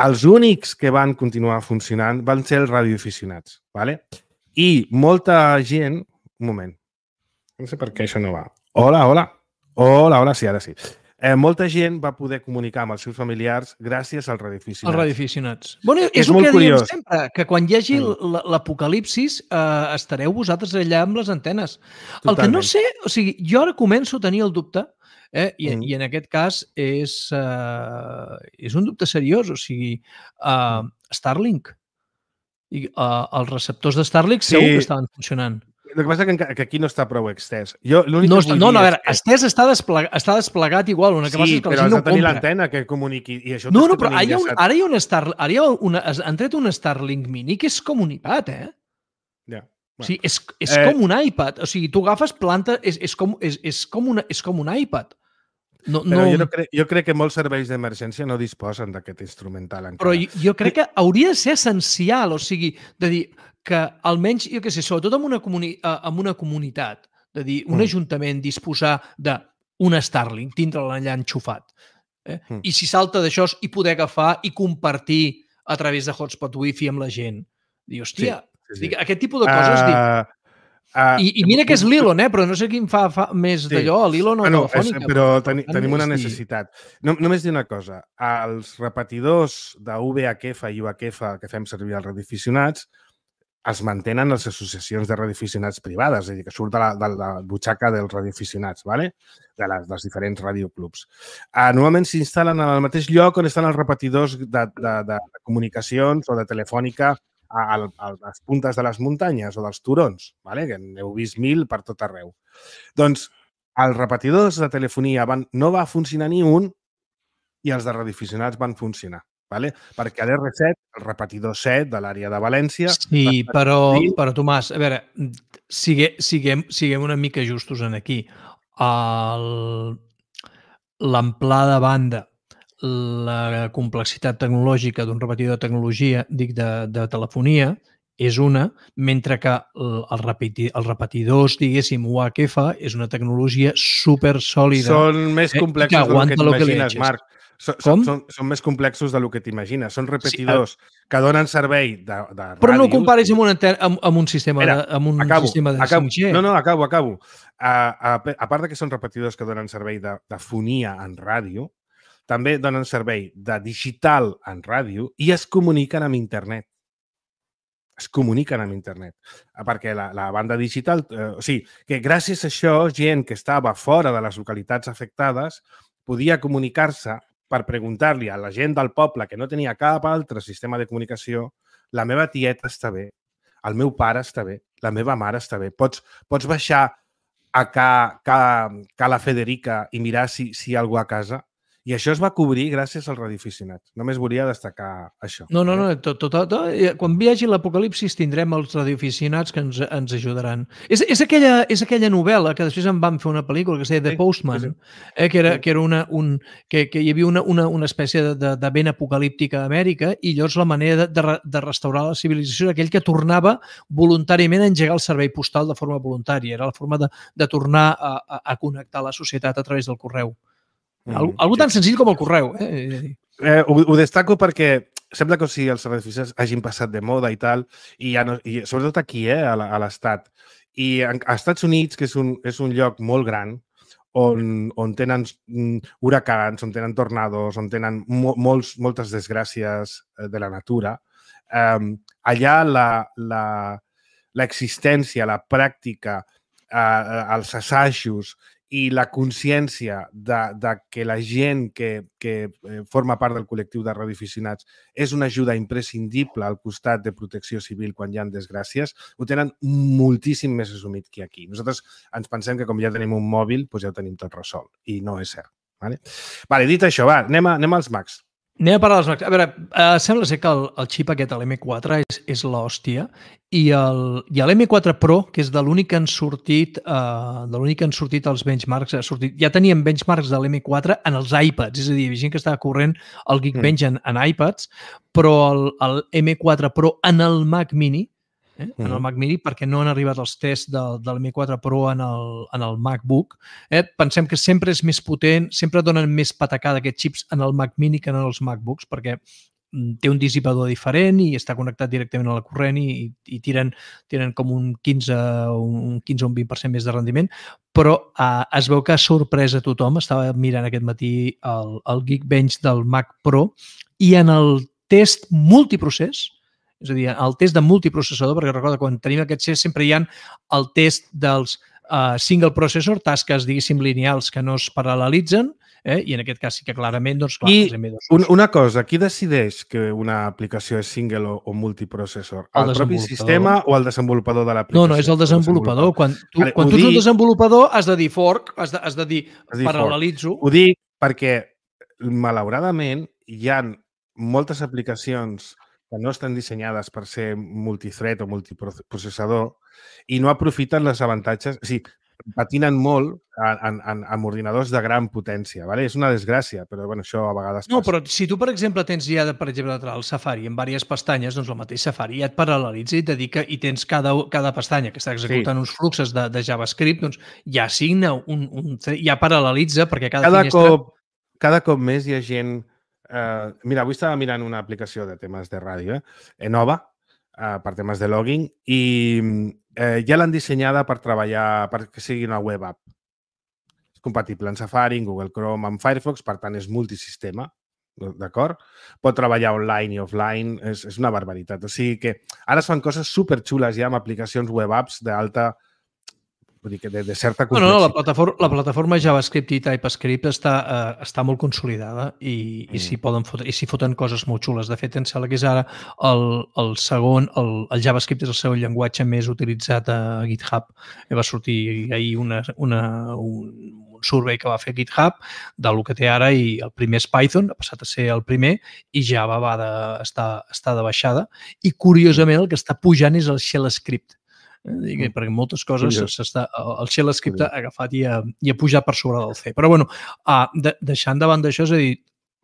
els únics que van continuar funcionant van ser els radioaficionats, ¿vale? I molta gent... Un moment. No sé per què això no va. Hola, hola. Hola, hola, sí, ara sí. Eh, molta gent va poder comunicar amb els seus familiars gràcies als radioaficionats. Els radioaficionats. Bueno, és, és el molt que curiós. diem sempre, que quan hi hagi l'apocalipsis eh, estareu vosaltres allà amb les antenes. Totalment. El que no sé... O sigui, jo ara començo a tenir el dubte, eh, i, mm. i en aquest cas és, uh, és un dubte seriós. O sigui, uh, Starlink. I, uh, els receptors de Starlink sí. segur que estaven funcionant. el que passa és que, que aquí no està prou extès. Jo, l'únic no, que vull no, no, a dir veure, és que... estès està, desplegat, està desplegat igual, una que passa Sí, és que la però gent has no de tenir compra. l'antena que comuniqui. I això No, tens no, que però tenir ara hi ha, un, enllaçat. ara hi ha un Star, ara hi ha una, han tret un Starlink Mini que és com un iPad, eh? Ja. O sigui, és, és Eh, com un iPad. O sigui, tu agafes planta, és, és, com, és, és, com, una, és com un iPad. No, Però no, jo, no crec, jo crec que molts serveis d'emergència no disposen d'aquest instrumental encara. Però jo, jo crec que hauria de ser essencial, o sigui, de dir que almenys, jo què sé, sobretot en una, comuni en una comunitat, de dir, un Mm. ajuntament disposar d'un Starlink, tindre-la allà enxufat. Eh? Mm. I si salta d'això, i poder agafar i compartir a través de hotspot wifi amb la gent. Dir, hòstia, Sí, sí, sí. aquest tipus de coses... Uh, dic, Uh, I, I mira que és l'Elon, eh? Però no sé quin fa, fa més Sí. d'allò, l'Elon o Ah, no, Telefònica. és, però teni, tant, tenim una és dir- necessitat. No, només dir una cosa. Els repetidors de V H F i U H F que fem servir als radioaficionats es mantenen les associacions de radioaficionats privades, és a dir, que surt de la, de la butxaca dels radioaficionats, ¿vale? de les, dels diferents radioclubs. Uh, normalment s'instal·len al mateix lloc on estan els repetidors de, de, de comunicacions o de telefònica a, a, a les puntes de les muntanyes o dels turons, ¿vale? Que n'heu vist mil per tot arreu. Doncs els repetidors de telefonia van, no va funcionar ni un i els de radioaficionats van funcionar. ¿vale? Perquè a l'R set, el repetidor set de l'àrea de València... Sí, però, però Tomàs, a veure, sigue, siguem, siguem una mica justos en aquí. L'amplada de banda, la complexitat tecnològica d'un repetidor de tecnologia, dic, de, de telefonia, és una, mentre que el, el, repeti, els repetidors, diguéssim, U H F, és una tecnologia super sòlida. Són més complexos eh, del que t'imagines, Marc. Són, són, són, són més complexos del que t'imagines. Són repetidors sí, el... que donen servei de, de ràdio. Però no ho comparis amb un, amb, amb un sistema Mira, de, amb un acabo, sistema de acabo. cinc G. No, no, acabo, acabo. A, a, a part de que són repetidors que donen servei de, de fonia en ràdio, també donen servei de digital en ràdio i es comuniquen amb internet. Es comuniquen amb internet. Perquè la, la banda digital... Eh, o sigui, que gràcies a això, gent que estava fora de les localitats afectades podia comunicar-se per preguntar-li a la gent del poble que no tenia cap altre sistema de comunicació: la meva tieta està bé, el meu pare està bé, la meva mare està bé. Pots, pots baixar a ca, ca, ca la Federica i mirar si, si hi ha algú a casa? I això es va cobrir gràcies als radioaficionats. Només volia destacar això. No, no, no. Tot, tot, tot, quan hi hagi l'apocalipsis tindrem els radioaficionats que ens, ens ajudaran. És, és, aquella, és aquella novel·la que després en van fer una pel·lícula que es deia The Postman, sí, sí. Eh, que, era, que, era una, un, que, que hi havia una, una, una espècie de, de, de vent apocalíptica a Amèrica i llavors la manera de, de, de restaurar la civilització era aquell que tornava voluntàriament a engegar el servei postal de forma voluntària. Era la forma de, de tornar a, a, a connectar la societat a través del correu. Algo, algo tan senzill com el correu. Eh? Eh, ho, ho destaco perquè sembla que o sigui, els radioaficionats hagin passat de moda i tal, i, ja no, i sobretot aquí, eh, a l'Estat. I als Estats Units, que és un, és un lloc molt gran, on, on tenen huracans, on tenen tornados, on tenen mo, molts, moltes desgràcies de la natura, eh, allà l'existència, la, la pràctica, eh, els assajos i la consciència de, de que la gent que, que forma part del col·lectiu de radioaficionats és una ajuda imprescindible al costat de protecció civil quan hi ha desgràcies, ho tenen moltíssim més assumit que aquí. Nosaltres ens pensem que com ja tenim un mòbil, doncs ja ho tenim tot resolt, i no és cert. Vale? Vale, dit això, va, anem, a, anem als Macs. Anem a parlar dels Macs. A veure, eh, sembla ser que el, el xip aquest, l'M quatre, és, és l'hòstia, i l'M quatre Pro, que és de l'únic que han sortit, eh, de l'únic que han sortit els benchmarks, ha sortit, ja teníem benchmarks de l'M quatre en els iPads, és a dir, hi havia gent que estava corrent el Geekbench en, en iPads, però el, el M quatre Pro en el Mac Mini, eh, en el Mac Mini, perquè no han arribat els tests del, del M quatre Pro en el, en el MacBook. Eh? Pensem que sempre és més potent, sempre donen més patacada aquests xips en el Mac Mini que en els MacBooks, perquè té un dissipador diferent i està connectat directament a la corrent i, i tiren, tiren com un quinze o un vint per cent més de rendiment, però eh, es veu que ha sorprès a tothom. Estava mirant aquest matí el, el Geekbench del Mac Pro i en el test multiprocés, és a dir, el test de multiprocessador, perquè recorda, quan tenim aquests tests sempre hi ha el test dels uh, single processor, tasques, diguéssim, lineals que no es paral·lelitzen, eh? I en aquest cas sí que clarament, doncs clar, I els M dos... un, una cosa, qui decideix que una aplicació és single o, o multiprocessor? El, el propi sistema o el desenvolupador de l'aplicació? No, no, és el desenvolupador. Quan tu, vale, quan tu ets un desenvolupador has de dir fork, has de, has de dir paral·lelitzo. Ho dic perquè, malauradament, hi ha moltes aplicacions que no estan dissenyades per ser multithread o multiprocessador i no aprofiten els avantatges. O sigui, patinen molt en, en, en ordinadors de gran potència. ¿vale? És una desgràcia, però bueno, això a vegades passa. No, però si tu, per exemple, tens ja, per exemple, el Safari en diverses pestanyes, doncs el mateix Safari ja et paral·lelitza i et dedica i tens cada, cada pestanya que està executant sí. uns fluxos de, de JavaScript, doncs ja assigna un, un ja paral·lelitza perquè cada, cada finestra... Cop, cada cop més hi ha gent... Uh, mira, avui estava mirant una aplicació de temes de ràdio, eh? nova, uh, per temes de logging, i uh, ja l'han dissenyada per treballar, perquè sigui una web app. És compatible en Safari, en Google Chrome, en Firefox, per tant és multisistema, d'acord? Pot treballar online i offline, és, és una barbaritat. O sigui que ara es fan coses superxules ja amb aplicacions web apps d'alta... Vull dir que de, de certa complexitat. No, no, la plataforma, la plataforma JavaScript i TypeScript està, eh, està molt consolidada i, mm. i s'hi poden fotre, i s'hi foten coses molt xules. De fet, em sembla que és ara el, el segon, el, el JavaScript és el segon llenguatge més utilitzat a GitHub. Va sortir ahir una, una, un, un survey que va fer GitHub del que té ara i el primer és Python, ha passat a ser el primer, i Java va de, està, està de baixada. I, curiosament, el que està pujant és el Shell Script. Eh, perquè moltes coses s'està, el Shell Script ha agafat i ha, i ha pujat per sobre del C. Però, bueno, uh, de, deixant davant d'això, és a dir...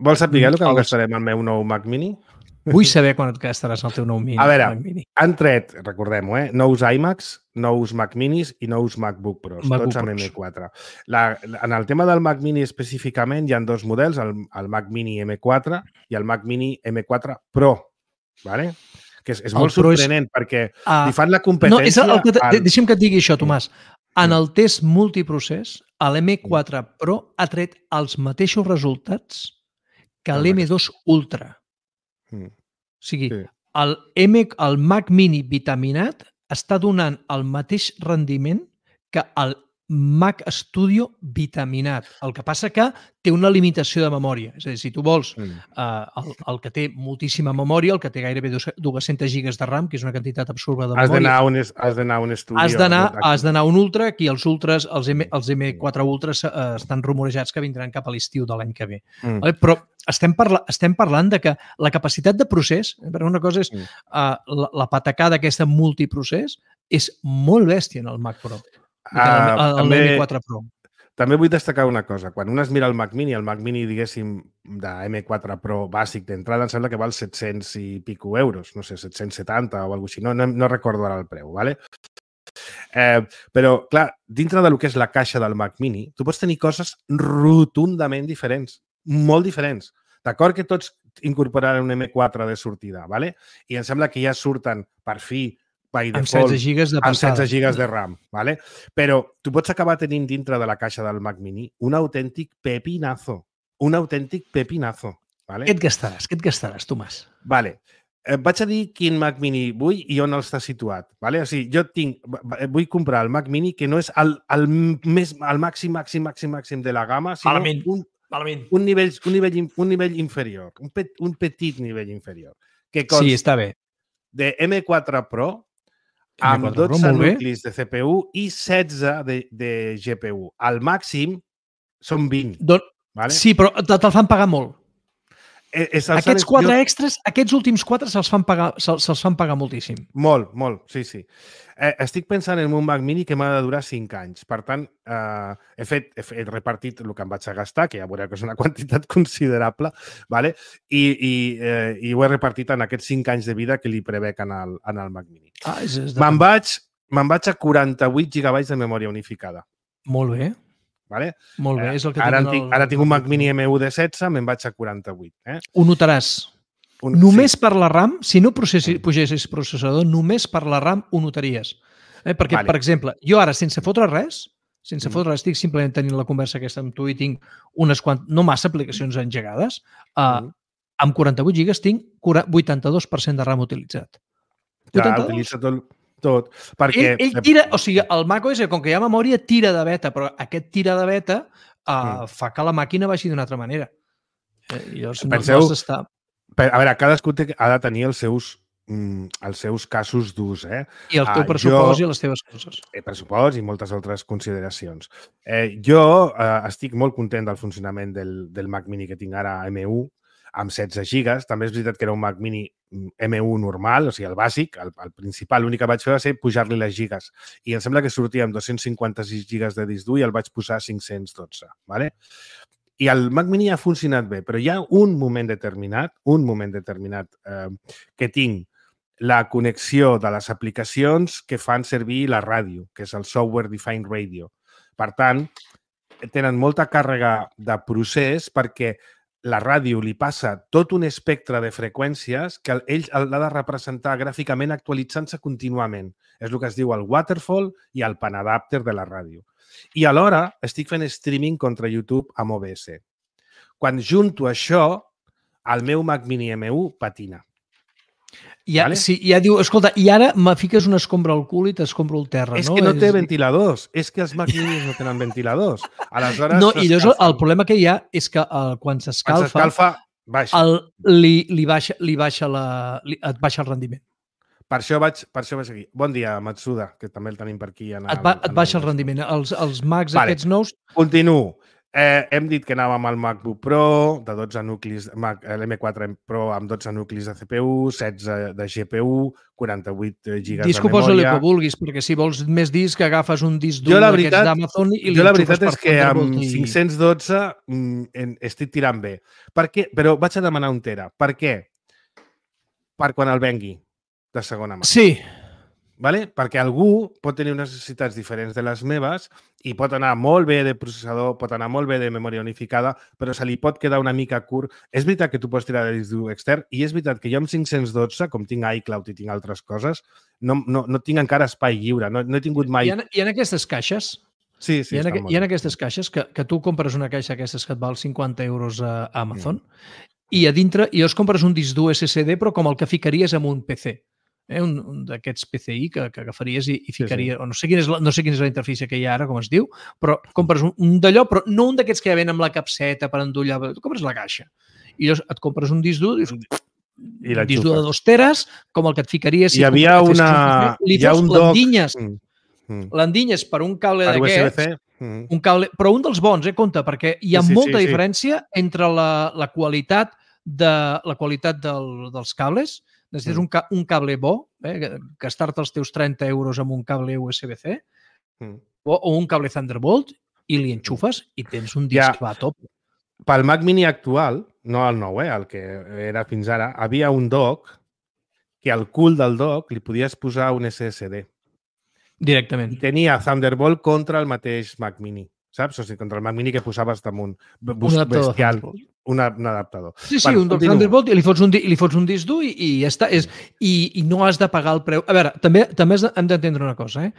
Vols saber el que em gastarem el meu nou Mac Mini? Vull saber quan et gastaràs el teu nou mini, a veure, Mac Mini. Han tret, recordem-ho, eh, nous iMacs, nous Mac Minis i nous MacBook Pros, MacBook tots amb Pros. M quatre. La, en el tema del Mac Mini específicament hi ha dos models, el, el Mac Mini M quatre i el Mac Mini M quatre Pro, ¿vale? Que és, és molt sorprenent és, perquè uh, li fan la competència... No, és el que al... Deixa'm que et digui això, Tomàs. En el test multiprocés, l'M quatre Pro ha tret els mateixos resultats que l'M dos Ultra. Mm. O sigui, sí. el, M, el Mac Mini vitaminat està donant el mateix rendiment que el Mac Studio vitaminat. El que passa que té una limitació de memòria. És a dir, si tu vols mm. uh, el, el que té moltíssima memòria, el que té gairebé dues-centes gigas de RAM, que és una quantitat absurda de has memòria... Un, has d'anar a un estudio. Has d'anar a un Ultra, aquí els Ultras, els, M, els M quatre Ultras uh, estan rumorejats que vindran cap a l'estiu de l'any que ve. Mm. Vale? Però estem, parla, estem parlant de que la capacitat de procés, per una cosa és mm. uh, la, la patacada aquesta multiprocés, és molt bèstia en el Mac Pro. Uh, el, el M quatre Pro. També vull destacar una cosa. Quan un es mira el Mac Mini, el Mac Mini, diguéssim, de M quatre Pro bàsic d'entrada, em sembla que val set-cents i pico euros, no sé, set-cents setanta o alguna cosa així. No, no, no recordo ara el preu, ¿vale? Eh, però, clar, dintre del que és la caixa del Mac Mini, tu pots tenir coses rotundament diferents, molt diferents. D'acord que tots incorporaran un M quatre de sortida, ¿vale? I em sembla que ja surten, per fi, by default, amb setze gigas de amb setze gigas de RAM, ¿vale? Però tu pots acabar tenint dintre de la caixa del Mac Mini un autèntic pepinazo. Un autèntic pepinazo. ¿vale? Què et gastaràs? Què et gastaràs, Tomàs? Vale. Eh, vaig a dir quin Mac Mini vull i on està situat. ¿vale? O sigui, jo tinc, vull comprar el Mac Mini que no és el, el, més, el màxim, màxim, màxim, màxim de la gamma, sinó Malament. un, Malament. un, nivell, un, nivell, un nivell inferior, un, pet, un petit nivell inferior. Que consta sí, està bé. De M quatre Pro amb dotze nuclis de C P U i setze de, de G P U. Al màxim són vint. Don... Vale? Sí, però te'l fan pagar molt. Eh, és aquests quatre jo... extras, aquests últims quatre se'ls fan, pagar, se, se fan pagar moltíssim. Molt, molt, sí, sí. Eh, estic pensant en un Mac Mini que m'ha de durar cinc anys. Per tant, eh, he, fet, he, fet, he repartit el que em vaig a gastar, que ja veureu que és una quantitat considerable, ¿vale? I, i, eh, i ho he repartit en aquests cinc anys de vida que li prevec en el, en el Mac Mini. Ah, és, és de... Me'n vaig, me'n vaig a quaranta-vuit gigabytes de memòria unificada. Molt bé. Vale? Molt bé, és el que ara, tinc tinc, el... ara tinc un Mac Mini M u de setze, me'n vaig a quaranta-vuit. Eh? Ho notaràs. Un... Només sí. Per la RAM, si no processi, pugessis processador, només per la RAM ho notaries. Eh? Perquè, vale. Per exemple, jo ara, sense fotre res, sense mm. fotre res, estic simplement tenint la conversa aquesta amb tu i tinc unes quant... no massa aplicacions engegades, uh, mm. amb quaranta-vuit gigas tinc vuitanta-dos per cent de RAM utilitzat. Ja, utilitza tot... tot, perquè... Ell, ell tira, o sigui, el macOS, com que hi ha memòria, tira de beta, però aquest tira de beta uh, fa que la màquina vagi d'una altra manera. Eh, I llavors no, Penseu, no s'està... a veure, cadascú té, ha de tenir els seus, mm, els seus casos d'ús. Eh? I el teu Ah, pressupost jo, i les teves coses. El pressupost i moltes altres consideracions. Eh, jo eh, estic molt content del funcionament del, del Mac Mini que tinc ara M u, amb setze gigas. També és veritat que era un Mac Mini M u normal, o sigui, el bàsic, el, el principal. L'únic que vaig fer va ser pujar-li les gigas. I em sembla que sortia amb dos-cents cinquanta-sis gigas de disc dur i el vaig posar a cinc-cents dotze. ¿vale? I el Mac Mini ha funcionat bé, però hi ha un moment determinat, un moment determinat eh, que tinc la connexió de les aplicacions que fan servir la ràdio, que és el Software Defined Radio. Per tant, tenen molta càrrega de procés perquè la ràdio li passa tot un espectre de freqüències que ell l'ha de representar gràficament actualitzant-se contínuament. És el que es diu el waterfall i el panadapter de la ràdio. I alhora estic fent streaming contra YouTube amb O B S. Quan junto això, el meu Mac Mini M u patina. Ja, Vale? sí, ja diu, escolta, i ara me fiques una escombra al cul i t'escombro el terra, És no? que no té És- ventiladors. És que els Mac Minis no tenen ventiladors. Aleshores, No, i llavors el s'escalfen. problema que hi ha és que uh, quan Quan s'escalfa, s'escalfa, baixa. el, li, li, baixa, li baixa la, li, et baixa el rendiment. Per això vaig, per això vaig aquí. Bon dia, Matsuda, que també el tenim per aquí. En Et, ba, en et baixa el rendiment. Els, els Macs Vale. aquests nous... Continuo. Eh, hem dit que anàvem al MacBook Pro, de dotze nuclis, Mac, l'M quatre Pro amb dotze nuclis de C P U, setze de G P U, quaranta-vuit gigas Disco de posa-li memòria. que vulguis, perquè si vols més disc agafes un disc dur Jo la d'aquests veritat- d'Amazon i li Jo la enxufes veritat per és que amb Thunderbolt i- cinc-cents dotze mm, en, estic tirant bé. Per què? Però vaig a demanar un tera. Per què? Per quan el vengui de segona mà. Sí, Vale? Perquè algú pot tenir unes necessitats diferents de les meves i pot anar molt bé de processador, pot anar molt bé de memòria unificada, però se li pot quedar una mica curt. És veritat que tu pots tirar de disc dur extern i és veritat que jo amb cinc-cents dotze, com tinc iCloud i tinc altres coses, no, no, no tinc encara espai lliure. No, no he tingut mai... hi ha, hi ha aquestes caixes, Sí, sí, hi ha, estan aqu- molt hi ha bé. aquestes caixes que, que tu compres una caixa d'aquestes que et val cinquanta euros a Amazon i a dintre, i llavors compres un disc dur S S D, però com el que ficaries en un P C. Eh, un, un d'aquests P C I que, que agafaries i, i ficaries, sí, sí. O no sé quina és la, no sé quina és la interfície que hi ha ara, com es diu, però compres un, un d'allò, però no un d'aquests que ja ven amb la capseta per endollar, tu compres la caixa. I llavors et compres un disc dur, dius, I un disc dur de dos teres, com el que et ficaries... Hi havia compraves- una... Li Hi ha fots un doc... l'endinyes, Mm, mm. l'endinyes per un cable Per U S B d'aquests, C? Mm. un cable, però un dels bons, eh, compte, perquè hi ha Sí, sí, molta sí, sí. diferència entre la, la qualitat de la qualitat del, dels cables. Necessites Mm. un, ca, un cable bo, eh, gastar-te els teus trenta euros amb un cable U S B C Mm. o, o un cable Thunderbolt i li enxufes i tens un disc Ja. que va a top. Pel Mac Mini actual, no el nou, eh, el que era fins ara, havia un dock que al cul del dock li podies posar un S S D. Directament. I tenia Thunderbolt contra el mateix Mac Mini, saps? O sigui, contra el Mac Mini que posaves damunt. Un adaptador Bestial. Thunderbolt. Una, un adaptador. Sí, sí, Bueno, un dock continuo. Thunderbolt i li fots un, di- i li fots un disc dur i, i ja està. És, i, I no has de pagar el preu. A veure, també també has de- hem d'entendre una cosa. Eh?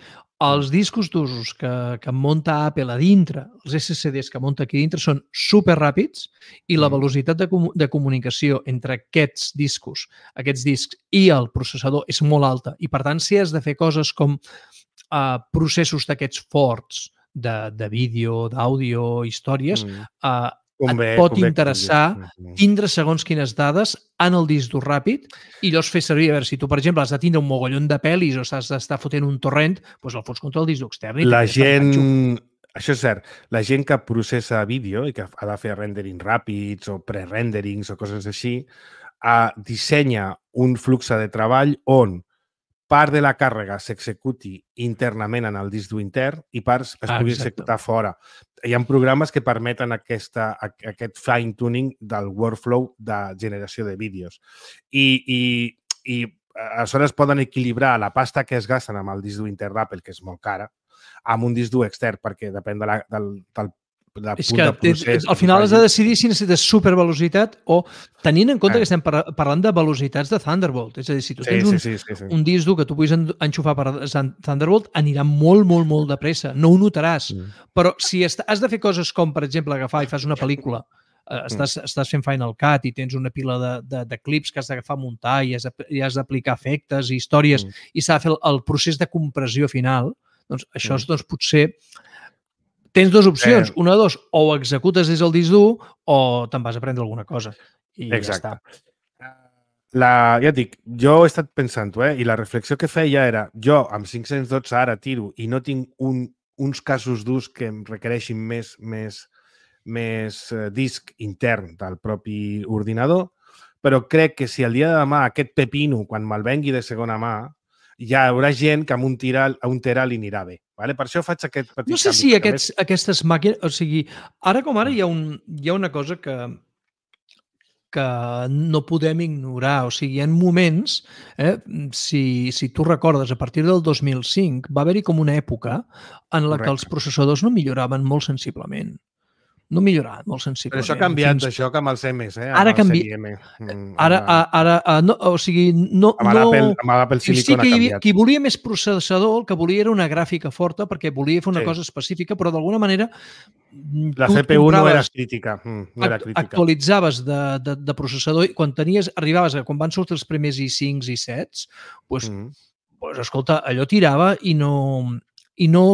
Els discos d'usos que, que munta Apple a dintre, els S S Ds que munta aquí dintre, són super ràpids i la Mm. velocitat de, comu de comunicació entre aquests discos, aquests discs i el processador és molt alta. I, per tant, si has de fer coses com uh, processos d'aquests forts de, de vídeo, d'àudio, històries, Mm. uh, Convé, et pot convé que interessar vulguis. Mm. tindre segons quines dades en el disc dur ràpid i llavors fer servir, a veure, si tu, per exemple, has de tindre un mogollon de pel·lis o has d'estar fotent un torrent, doncs el fots contra el disc dur extern. I La també està en gent... ganxo. Això és cert. La gent que processa vídeo i que ha de fer rendering ràpids o pre-renderings o coses així, eh, dissenya un flux de treball on part de la càrrega s'executi internament en el disc dur intern i parts es Ah, pugui exacte. executar fora. Hi ha programes que permeten aquesta, aquest fine-tuning del workflow de generació de vídeos. I, i, i aleshores poden equilibrar la pasta que es gasten amb el disc dur intern d'Apple, que és molt cara, amb un disc dur extern, perquè depèn de la, del, del, del És punt que de procés. al final has de decidir si necessites supervelocitat o tenint en compte Ah. que estem par parlant de velocitats de Thunderbolt. És a dir, si tu Sí, tens sí, un, sí, sí, sí. un disc dur que tu puguis en- enxufar per Thunderbolt, anirà molt, molt, molt de pressa. No ho notaràs. Mm. Però si est- has de fer coses com, per exemple, agafar i fas una pel·lícula, eh, estàs, estàs fent Final Cut i tens una pila de, de, de clips que has d'agafar a muntar i has de- i has d'aplicar efectes i històries Mm. i s'ha de fer el, el procés de compressió final, doncs això Mm. és, doncs, potser tens dues opcions. Una de dos, o ho executes des del disc dur o te'n vas a aprendre alguna cosa. I Exacte. ja està. La, ja et dic, jo he estat pensant-ho, eh? I la reflexió que feia era, jo amb cinc-cents dotze ara tiro i no tinc un, uns casos d'ús que em requereixin més, més, més eh, disc intern del propi ordinador, però crec que si el dia de demà aquest pepino, quan me'l vengui de segona mà, hi haurà gent que amb un, tira, un tera li anirà bé. Vale? Per això faig aquest petit No sé canvi. si aquests, més... aquestes màquines... O sigui, ara com ara hi ha, un, hi ha una cosa que, que no podem ignorar. O sigui, hi ha moments, eh, si, si tu recordes, a partir del dos mil cinc va haver-hi com una època en la Correcte. Que els processadors no milloraven molt sensiblement. No millorat molt sensiblement. Però això ha canviat, fins... això, que amb els M's, eh? Amb ara el canvi... M. Mm, ara, amb... ara, ara, no, o sigui, no... Amb l'Apple no... Amb sí Silicon que hi havia, ha canviat. qui volia més processador, el que volia era una gràfica forta, perquè volia fer una sí. cosa específica, però d'alguna manera... La C P U no era crítica. Mm, no era crítica. Actualitzaves de, de, de processador i quan tenies, arribaves a quan van sortir els primers i cinc i set, doncs, mm. doncs, escolta, allò tirava i no, i no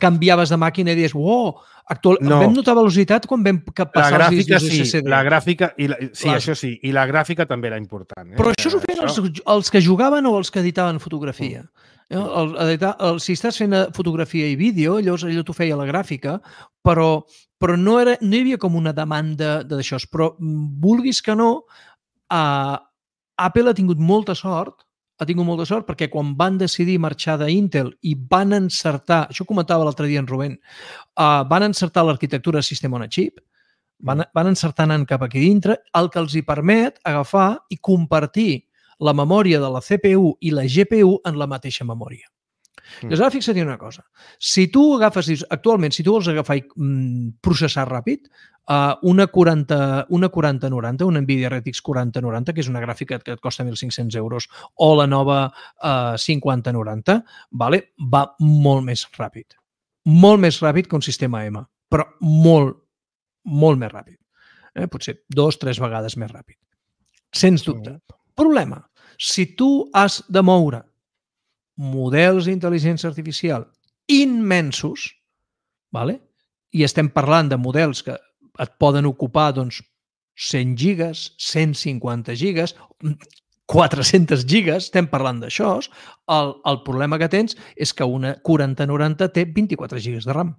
canviaves de màquina i dius, oh, actual... no. Vam notar velocitat quan vam passar la els discos sí, S S D. La gràfica, i la, sí, Clar. Això sí, i la gràfica també era important. Eh? Però això s'ho feien els, els que jugaven o els que editaven fotografia. Mm. El, editar, el, si estàs fent fotografia i vídeo, llavors allò t'ho feia la gràfica, però, però no, era, no hi havia com una demanda d'això. Però vulguis que no, uh, Apple ha tingut molta sort ha tingut molta sort perquè quan van decidir marxar d'Intel i van encertar, això comentava l'altre dia en Rubén, uh, van encertar l'arquitectura de sistema on a chip, van, van encertar anant cap aquí dintre, el que els hi permet agafar i compartir la memòria de la C P U i la G P U en la mateixa memòria. Mm. Llavors, ara fixa't una cosa. Si tu agafes, actualment, si tu vols agafar i mm, processar ràpid, uh, una quaranta noranta, una NVIDIA R T X quaranta noranta, que és una gràfica que et costa mil cinc-cents euros, o la nova uh, cinquanta noranta, vale? Va molt més ràpid. Molt més ràpid que un sistema M, però molt, molt més ràpid. Eh? Potser dos, tres vegades més ràpid. Sens dubte. Mm. Problema. Si tu has de moure models d'intel·ligència artificial immensos, vale? I estem parlant de models que et poden ocupar doncs, cent gigas, cent cinquanta gigas, quatre-centes gigas, estem parlant d'això, el, el problema que tens és que una quaranta noranta té vint-i-quatre gigas de RAM.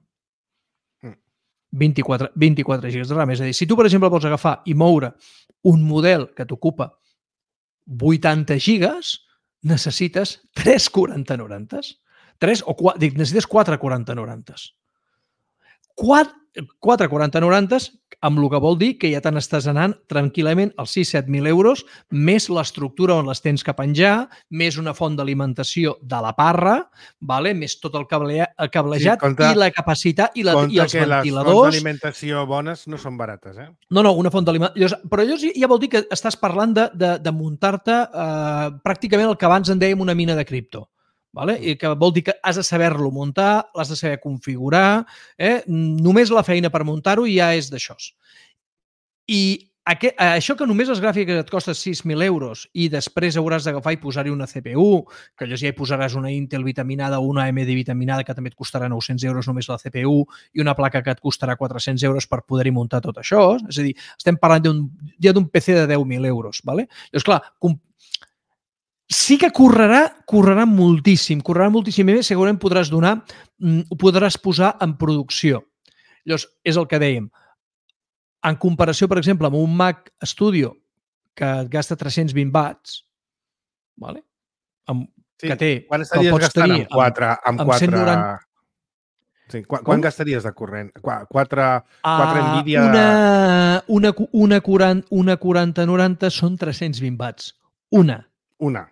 vint-i-quatre, vint-i-quatre gigas de RAM. És a dir, si tu, per exemple, vols agafar i moure un model que t'ocupa vuitanta gigas, necessites tres quaranta norantes. tres o quatre, dic, necessites quatre quaranta norantes. quatre quaranta norantes, amb el que vol dir que ja te n'estàs anant tranquil·lament als sis set mil euros, més l'estructura on les tens que penjar, més una font d'alimentació de la parra, vale? Més tot el, cable, el cablejat sí, compte, i la capacitat i, la, i els que ventiladors. Les fonts d'alimentació bones no són barates, eh? No, no, una font d'alimentació. Però llavors ja vol dir que estàs parlant de, de, de muntar-te eh, pràcticament el que abans en dèiem una mina de cripto. Vale? I que vol dir que has de saber-lo muntar, l'has de saber configurar, eh? Només la feina per muntar-ho ja és d'això. I aquest, això que només les gràfiques et costa sis mil euros i després hauràs d'agafar i posar-hi una C P U, que llavors ja hi posaràs una Intel vitaminada o una A M D vitaminada que també et costarà nou-cents euros només la C P U i una placa que et costarà quatre-cents euros per poder-hi muntar tot això. És a dir, estem parlant d'un, ja d'un P C de deu mil euros. Vale? Llavors, clar, sí que correrà, correrà moltíssim, correrà moltíssim més, segurament podràs donar, ho podràs posar en producció. Llavors, és el que dèiem. En comparació, per exemple, amb un Mac Studio que gasta tres-cents vint watts, vale? Amb, sí, que té... Quan estaries gastant amb quatre... Amb, amb quatre... cent noranta... Sí, quan, quan gastaries de corrent? Quatre, quatre uh, Nvidia... Una, una, una, quaranta, una quaranta noranta són tres-cents vint watts. Una. Una.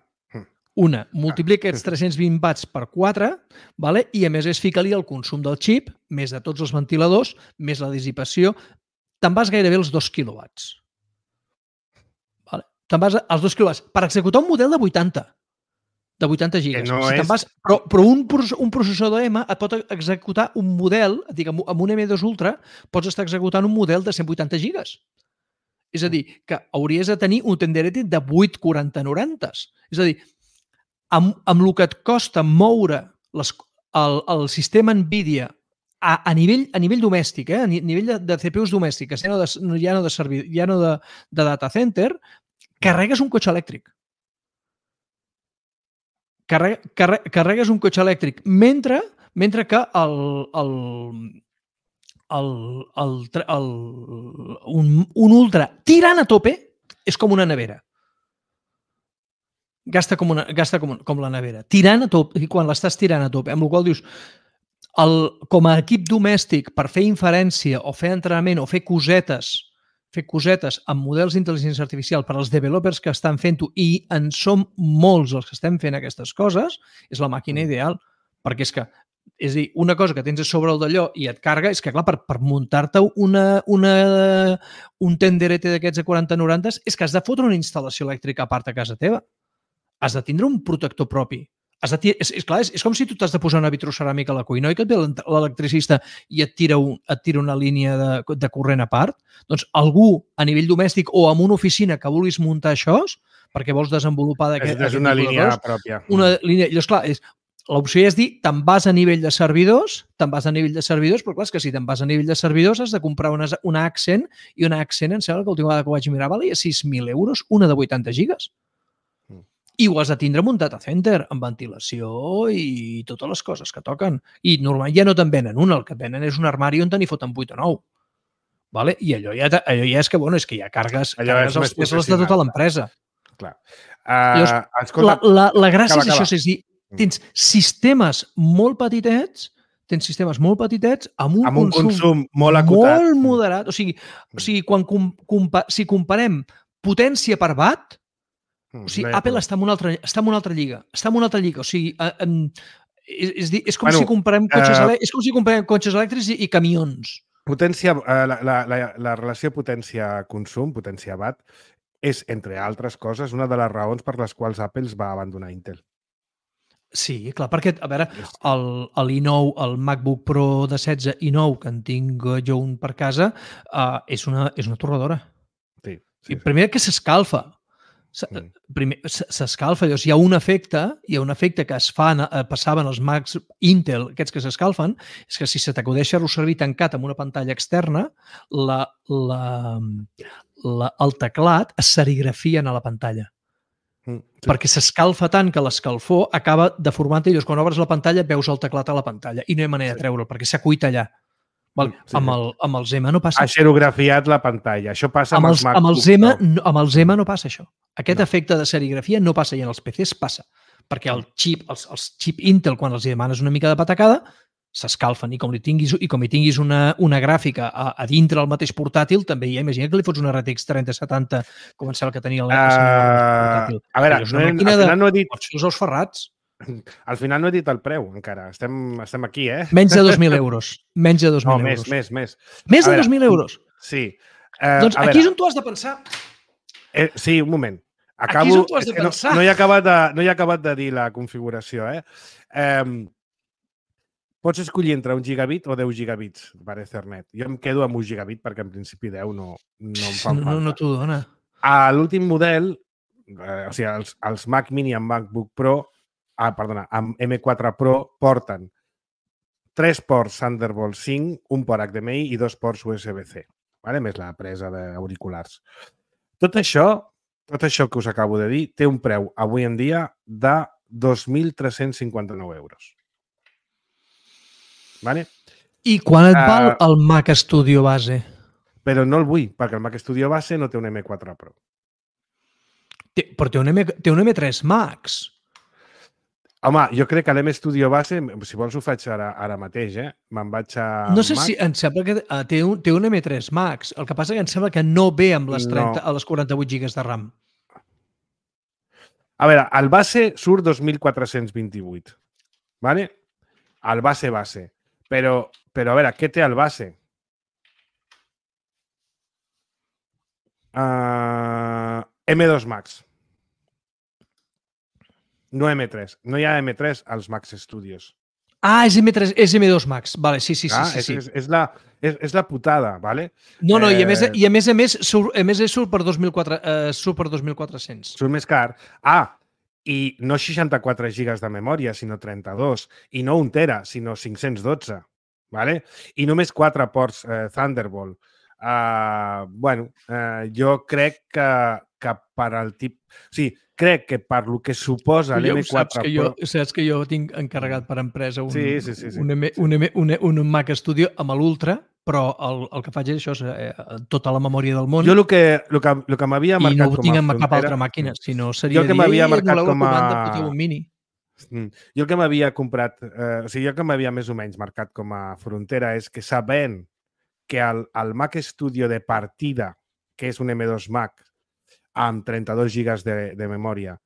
Una, multiplica aquests tres-cents vint watts per quatre, vale? I a més és ficar-li el consum del xip, més de tots els ventiladors, més la dissipació, te'n vas gairebé als dos quilowatts. Vale? Te'n vas als dos quilowatts. Per executar un model de vuitanta, de vuitanta gigas. No si és... vas, però però un, un processador M et pot executar un model, dic, amb un M dos Ultra, pots estar executant un model de cent vuitanta gigas. És a dir, que hauries de tenir un tenderete de vuit quaranta norantes. És a dir, amb, amb el que et costa moure les, el, el sistema NVIDIA a, a, nivell, a nivell domèstic, eh? a nivell de, de C P Us domèstiques, ja no de, ja no de, servi, ja no de, de data center, carregues un cotxe elèctric. Carrega, carre, carregues un cotxe elèctric, mentre, mentre que el, el, el, el, el, un, un ultra tirant a tope és com una nevera. Gasta com, una, gasta com, com la nevera. Tirant a tope, i quan l'estàs tirant a tope, amb la qual dius, el, com a equip domèstic per fer inferència o fer entrenament o fer cosetes fer cosetes amb models d'intel·ligència artificial per als developers que estan fent-ho, i en som molts els que estem fent aquestes coses, és la màquina ideal. Perquè és que, és a dir, una cosa que tens a sobre el d'allò i et carga, és que, clar, per, per muntar-te una, una, un tenderete d'aquests a quaranta noranta, és que has de fotre una instal·lació elèctrica a part a casa teva. Has de tindre un protector propi. Has de, és, és, clar, és, és com si tu t'has de posar una vitroceràmica a la cuina i que et ve l'electricista i et tira, un, et tira una línia de, de corrent a part. Doncs algú a nivell domèstic o en una oficina que vulguis muntar això, perquè vols desenvolupar d'aquest... És una línia coses, pròpia. Una línia... Llavors, clar, és, l'opció és dir, te'n vas a nivell de servidors, te'n vas a nivell de servidors, però clar, és que si te'n vas a nivell de servidors has de comprar una, una Accent, i una Accent, em sembla que l'última vegada que ho vaig mirar valia sis mil euros, una de vuitanta gigas. I ho has de tindre amb un data center, amb ventilació i totes les coses que toquen. I normalment ja no te'n venen un, el que venen és un armari on te n'hi foten vuit o nou. Vale? I allò ja, allò ja és que, bueno, és que ja cargues, cargues els pesos de tota l'empresa. Clar. Uh, la, la, la gràcia acaba, és això, és dir, tens sistemes molt petitets, tens sistemes molt petitets amb un, amb un consum, consum molt acotat. Molt moderat. O sigui, o sigui quan com, compa, si comparem potència per watt, o sigui, no Apple està en, una altra, està en una altra lliga. Està en una altra lliga. O sigui, en, és, és, és, com, bueno, si comparem cotxes uh, és com si comparem cotxes elèctrics i, i camions. Potència, uh, la, la, la, la relació potència-consum, potència-watt, és, entre altres coses, una de les raons per les quals Apple va abandonar Intel. Sí, clar, perquè, a veure, el i nou, el MacBook Pro de setze i nou, que en tinc jo un per casa, uh, és, una, és una torradora. Sí, sí, I primer que s'escalfa. S'escalfa, llavors hi ha un efecte, hi ha un efecte que es fa, passaven els Macs Intel, aquests que s'escalfen, és que si se t'acudeix fer-lo servir tancat amb una pantalla externa, la, la, la, el teclat es serigrafien a la pantalla. Mm, sí. Perquè s'escalfa tant que l'escalfor acaba deformant-te i llavors quan obres la pantalla veus el teclat a la pantalla i no hi ha manera sí. de treure'l perquè s'ha cuit allà. Val, sí, amb, el, amb el Zema no passa. Ha xerografiat la pantalla. Això passa amb, amb els, els amb el Zema, no, amb el Zema no passa això. Aquest no. efecte de serigrafia no passa i en els P Cs passa. Perquè el xip, els, els xip Intel, quan els demanes una mica de patacada, s'escalfen i com li tinguis, i com hi tinguis una, una gràfica a, a dintre el mateix portàtil, també hi ha, imagina que li fots una R T X trenta setanta com em sembla que tenia el uh, portàtil. A veure, no, al final no he dit... Pots fer els ferrats. Al final no he dit el preu, encara. Estem, estem aquí, eh? Menys de dos mil euros. Menys de dos mil no, euros. Més, més, més. Més de dos mil euros? Sí. Uh, doncs aquí veure, és on tu has de pensar. Eh, sí, un moment. Acabo, aquí és on tu has de pensar. No, no, he acabat de, no he acabat de dir la configuració, eh? Um, pots escollir entre un gigabit o deu gigabits per Ethernet. Jo em quedo amb un gigabit perquè en principi deu no, no em fan no, falta. No, no t'ho dona. A l'últim model, eh, o sigui, els, els Mac Mini amb MacBook Pro, ah, perdona, amb M quatre Pro porten tres ports Thunderbolt cinc, un port H D M I i dos ports U S B C, vale? Més la presa d'auriculars. Tot això, tot això que us acabo de dir té un preu avui en dia de dos mil tres-cents cinquanta-nou euros. Vale? I quan et val uh, el Mac Studio base? Però no el vull, perquè el Mac Studio base no té un M quatre Pro. Té, però té un, M, té un M tres Max. Home, jo crec que l'M Studio base, si vols ho faig ara, ara mateix, eh? Me'n vaig a... No sé Mac. si... Em sembla que uh, té, un, té un M tres Max. El que passa que em sembla que no ve amb les, trenta, no. a les quaranta-vuit gigas de RAM. A veure, el base surt dos mil quatre-cents vint-i-vuit. Vale? El base base. Però, però a veure, què té el base? Uh, M dos Max. No M tres. No hi ha M tres als Mac Studios. Ah, és M tres, és M dos Max. Vale, sí, sí, ah, sí, sí, és, sí. És, és, la, és, és la putada, vale? No, no, eh... i a més i a més, a més surt, a més surt per dos mil quatre-cents. Surt més car. Ah, i no seixanta-quatre gigas de memòria, sinó trenta-dos. I no un tera, sinó cinc-cents dotze. vale? I només quatre ports eh, Thunderbolt. Uh, bueno, uh, jo crec que, que per al tip... O sigui, crec que per lo que suposa l'M quatre saps que Pro... jo, saps que jo tinc encarregat per empresa un, sí, sí, sí, sí. un, M, un, M, un, un Mac Studio amb l'Ultra, però el, el que faig és això, eh, tota la memòria del món. Jo el que, el que, el que m'havia marcat com a frontera... I no ho tinc en cap altra màquina, si no seria dir, dir, marcat no com a... comanda, un mini. Jo el que m'havia comprat, eh, o sigui, jo el que m'havia més o menys marcat com a frontera és que sabent que el, el Mac Studio de partida, que és un M dos Mac amb trenta-dos gigas de, de memòria,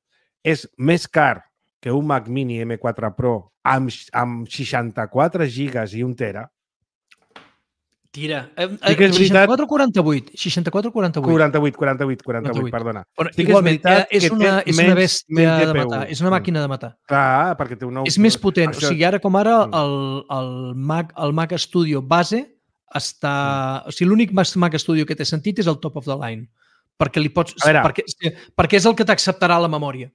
és més car que un Mac Mini M quatre Pro amb, amb seixanta-quatre gigas i un tera. Tira. Eh, sí que és seixanta-quatre o quaranta-vuit? seixanta-quatre o quaranta-vuit? quaranta-vuit, quaranta-vuit, quaranta-vuit, perdona. Bueno, sí igualment, és, és, una, és una bèstia de matar, és una màquina de matar. Clar, perquè té un nou... És més potent. Això... O sigui, ara com ara, el, el, Mac, el Mac Studio base està... O sigui, l'únic Mac Studio que té sentit és el top of the line. Perquè, li pots... perquè, perquè és el que t'acceptarà la memòria.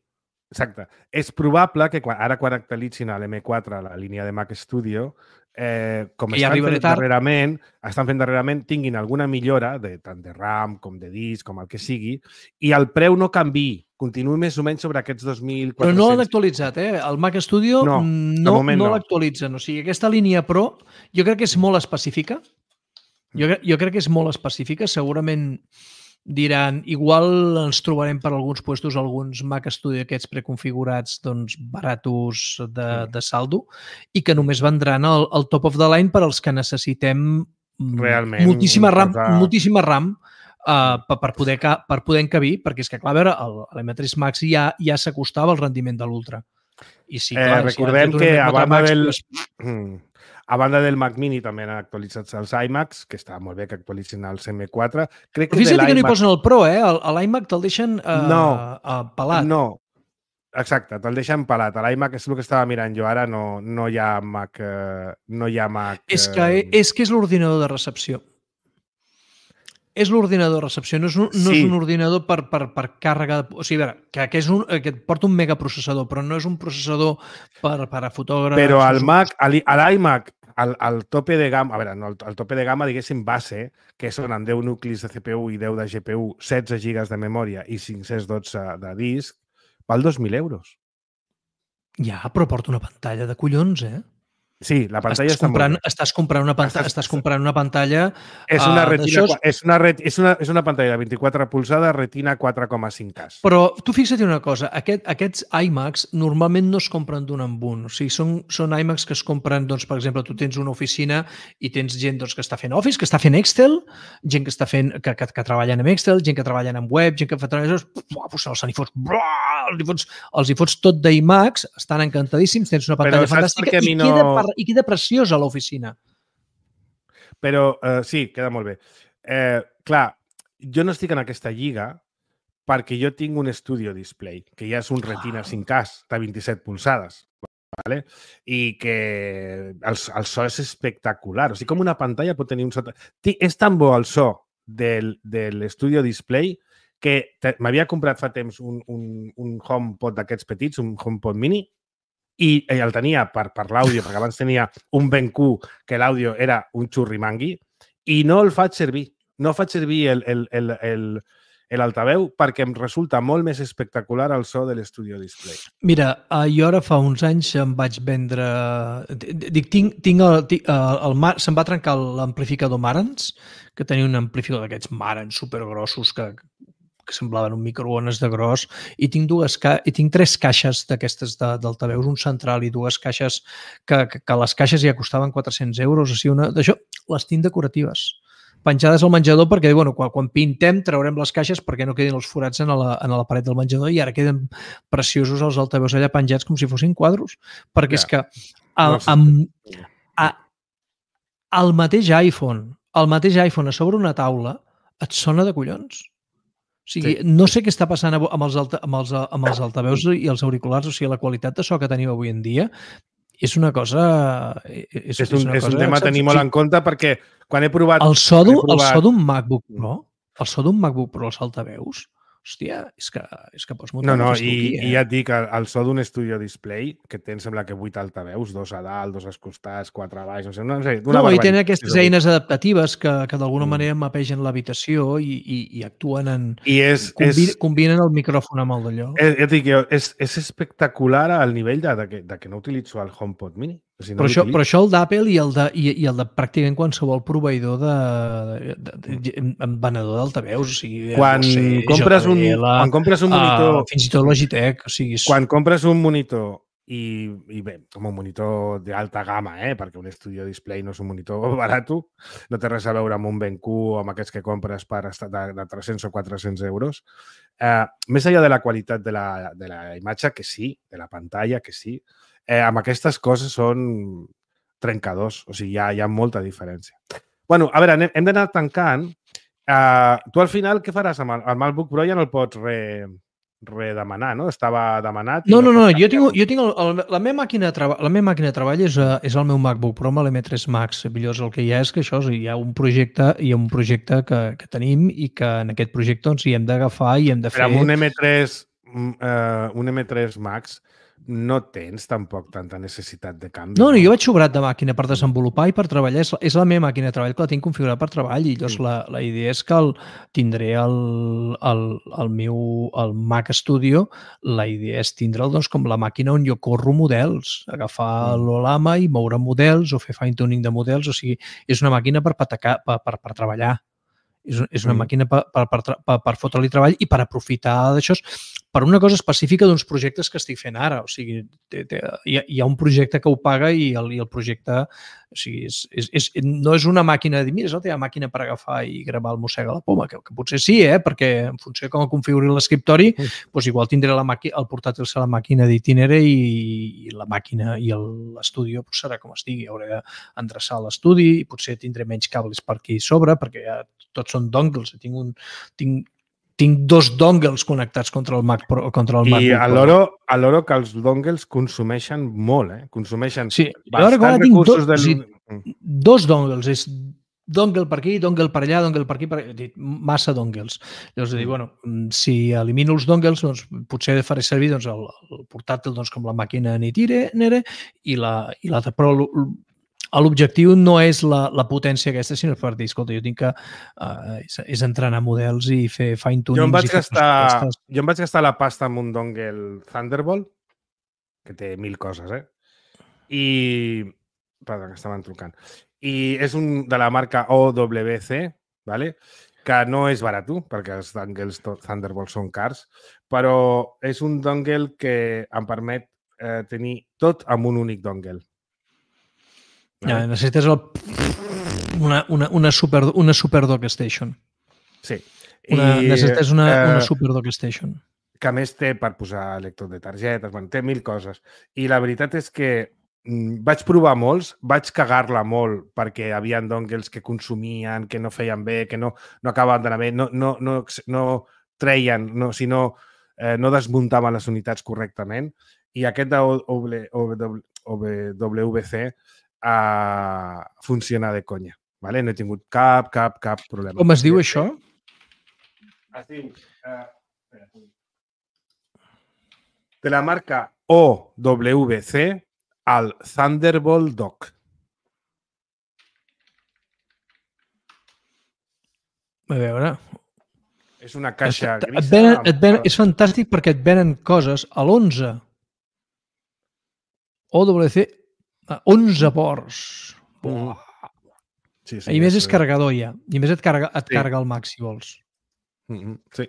Exacte. És probable que quan, ara quan actualitzin a l'M quatre, la línia de Mac Studio, eh, com estan fent darrerament, estan fent darrerament, tinguin alguna millora, de, tant de RAM com de disc, com el que sigui, i el preu no canviï. Continuï més o menys sobre aquests dos mil quatre-cents. Però no l'han actualitzat, eh? El Mac Studio no, no, no, no l'actualitzen. O sigui, aquesta línia Pro jo crec que és molt específica. Jo, jo crec que és molt específica. Segurament diran, igual ens trobarem per alguns puestos alguns Mac Studio aquests preconfigurats doncs, baratos de, de saldo i que només vendran el, el top of the line per als que necessitem realment moltíssima RAM, cosa... moltíssima RAM uh, per, per, poder, per poder encabir, perquè és que, clar, a veure, l'M tres Max ja, ja s'acostava al rendiment de l'Ultra. I sí, clar, eh, recordem si que a banda Max, del... Pues... A banda del Mac Mini també han actualitzat els iMacs, que està molt bé que actualitzin els M quatre. Crec que Fixa't que no hi posen el Pro, eh? L'iMac te'l deixen uh, no, uh, pelat. No, exacte, te'l deixen pelat. L'iMac és el que estava mirant jo ara, no, no hi ha Mac... Uh, no hi ha Mac... És que és, que és l'ordinador de recepció. És l'ordinador de recepció, no és un, no sí. és un ordinador per, per, per càrrega... O sigui, a veure, que, que, és un, que et porta un megaprocessador, però no és un processador per, per a fotògrafs... Però al Mac, a l'iMac, al, al tope de gamma, a veure, no, al tope de gamma, diguéssim, base, que són amb deu nuclis de C P U i deu de G P U, setze gigas de memòria i cinc-cents dotze de disc, val dos mil euros. Ja, però porta una pantalla de collons, eh? Sí, la pantalla estàs està comprant, molt bé. Estàs comprant una pantalla, estàs, estàs comprant una pantalla és una, uh, retina, és una, ret, és una, és una pantalla de vint-i-quatre polzades, retina quatre coma cinc K. Però tu fixa't una cosa, aquest, aquests iMacs normalment no es compren d'un en un. O sigui, són, són iMacs que es compren, doncs, per exemple, tu tens una oficina i tens gent doncs, que està fent Office, que està fent Excel, gent que està fent, que, que, que treballen amb Excel, gent que treballen amb web, gent que fa treballadors, pues, els hi fots, els hi fots, els hi fots tot d'iMacs, estan encantadíssims, tens una pantalla fantàstica i, no... queda, i queda preciós a l'oficina. Però uh, sí, queda molt bé. Eh, clar, jo no estic en aquesta lliga perquè jo tinc un Studio Display, que ja és un Retina cinc K de vint-i-set polzades, ¿vale? I que el, el so és espectacular. O sigui, com una pantalla pot tenir un so... És tan bo el so del, del Studio Display que m'havia comprat fa temps un, un, un HomePod d'aquests petits, un HomePod mini, i el tenia per, per l'àudio, perquè abans tenia un B Q que l'àudio era un xurrimangui, i no el faig servir. No faig servir el, el, el, el, l'altaveu perquè em resulta molt més espectacular el so de l'Studio Display. Mira, jo ara fa uns anys em vaig vendre... Dic, tinc, tinc el... Tinc, el, el se'm va trencar l'amplificador Marantz, que tenia un amplificador d'aquests Marantz supergrossos que... que semblaven un microones de gros, i tinc, dues ca... i tinc tres caixes d'aquestes d'altaveus, un central i dues caixes que, que, que les caixes ja costaven quatre-cents euros, o sigui, una... d'això, les tinc decoratives, penjades al menjador perquè, bueno, quan, quan pintem traurem les caixes perquè no quedin els forats en la, en la paret del menjador i ara queden preciosos els altaveus allà penjats com si fossin quadros, perquè ja. És que el, no sé. amb, a, el mateix iPhone, el mateix iPhone a sobre una taula et sona de collons. O sigui, sí. No sé què està passant amb els, alta, amb, els, amb els altaveus i els auriculars, o sigui, la qualitat de so que tenim avui en dia és una cosa... És, és, un, és, una és cosa, un tema a tenir molt sí. en compte perquè quan he provat... El so d'un provat... MacBook Pro, el so d'un MacBook Pro, els altaveus, hòstia, és que, és que pots No, muntar no, una festa i, aquí, eh? i ja et dic, el, el so d'un estudio display, que té, em sembla que vuit altaveus, dos a dalt, dos als costats, quatre a baix, no sé, no sé, d'una No, i tenen barbaritat. aquestes eines adaptatives que, que d'alguna Mm. manera mapegen l'habitació i, i, i actuen en... I és, Combinen, és, combinen el micròfon amb el d'allò. és, ja et dic, jo, és, és espectacular al nivell de, de, que, de que no utilitzo el HomePod Mini. O sigui, no Però això, l'utilitzo. però això el d'Apple i, el de, i, i el de pràcticament qualsevol proveïdor de, de, de, de venedor d'altaveus, o sigui, Quan Bose, compres un- J B L, quan compres un monitor- uh, fins i tot Logitech, o sigui, és, Quan compres un monitor i, i bé, com un monitor d'alta gamma, eh? Perquè un Studio Display no és un monitor barat, no té res a veure amb un B Q o amb aquests que compres per estar de, de tres-cents o quatre-cents euros. Eh, més enllà de la qualitat de la, de la imatge, que sí, de la pantalla, que sí, eh, amb aquestes coses són trencadors, o sigui, hi ha, hi ha molta diferència. Bueno, a veure, anem, hem d'anar tancant. Uh, tu al final què faràs amb el, el MacBook Pro? Ja no el pots re, redemanar, no? Estava demanat. i No, no, no, pots jo tinc, canviar-lo. jo tinc el, el, la, meva màquina de treball, la meva màquina de treball és, uh, és el meu MacBook Pro amb l'M tres Max. Millors el que hi ha és que això, hi ha un projecte, hi ha un projecte que, que tenim i que en aquest projecte doncs, hi hem d'agafar i hem de fer... Però amb un M tres, uh, un M tres Max no tens tampoc tanta necessitat de canvi. No, no, jo vaig sobrat de màquina per desenvolupar i per treballar. És, és la meva màquina de treball que la tinc configurada per treball i llavors Mm. la, la idea és que el, tindré el, el, el meu el Mac Studio, la idea és tindre'l doncs, com la màquina on jo corro models, agafar Mm. l'Olama i moure models o fer fine-tuning de models, o sigui, és una màquina per, patacar, per, per, per treballar. És, és una Mm. màquina per, per, per, per, per fotre-li treball i per aprofitar d'això per una cosa específica d'uns projectes que estic fent ara. O sigui, té, té, hi, ha, hi ha un projecte que ho paga i el, i el projecte o sigui, és, és, és, no és una màquina de dir, mira, és la teva màquina per agafar i gravar el Mossega la Poma, que, que potser sí, eh? Perquè en funció de com configuri l'escriptori, Mm. doncs igual tindré la màquina, el portàtil serà la màquina d'Itinere i, i la màquina i l'estudi doncs serà com estigui. Hauré d'endreçar l'estudi i potser tindré menys cables per aquí sobre, perquè ja tots són dongles. Tinc, un, tinc, tinc dos dongles connectats contra el Mac Pro, contra el I MacBook a Pro. l'hora a l'hora que els dongles consumeixen molt, eh? Consumeixen Sí, jo bastants ara tinc recursos dos, del... o sigui, dos dongles, és dongle per aquí, dongle per allà, dongle per aquí, per... he dit, massa dongles. Llavors, dic, Mm. bueno, si elimino els dongles, doncs, potser faré servir doncs, el, el portàtil doncs, com la màquina Nitire, Nere, i la, i l'altra. Però l'objectiu no és la, la potència aquesta, sinó per dir, escolta, jo tinc que uh, és, és entrenar models i fer fine-tunings. Jo em vaig i fer gastar, coses jo em vaig gastar la pasta amb un dongle Thunderbolt, que té mil coses, eh? I... Perdó, que estaven trucant. I és un de la marca O W C, ¿vale? Que no és barat, perquè els dongles Thunderbolt són cars, però és un dongle que em permet eh, tenir tot amb un únic dongle. Ja, necessites el... una, una, una, super, una super dock station. Sí. Una, I, necessites una, eh, una super dock station. que a més té per posar lector de targetes, bueno, té mil coses. I la veritat és que mm, vaig provar molts, vaig cagar-la molt perquè hi havia dongles que consumien, que no feien bé, que no, no acabaven d'anar bé, no, no, no, no treien, no, sinó eh, no desmuntaven les unitats correctament. I aquest de O W C uh, funciona de conya. Vale? No he tingut cap, cap, cap problema. Com es diu això? Es diu... Uh, de la marca O W C al Thunderbolt Dock. A veure... És una caixa et, grisa. et venen, amb- et venen, és fantàstic perquè et venen coses a l'onze. O W C, a onze ports. Mhm. Sí, sí, I més és eh, carregador ja. I més et carrega, et Sí. carrega el Mac, si vols. Mhm, sí.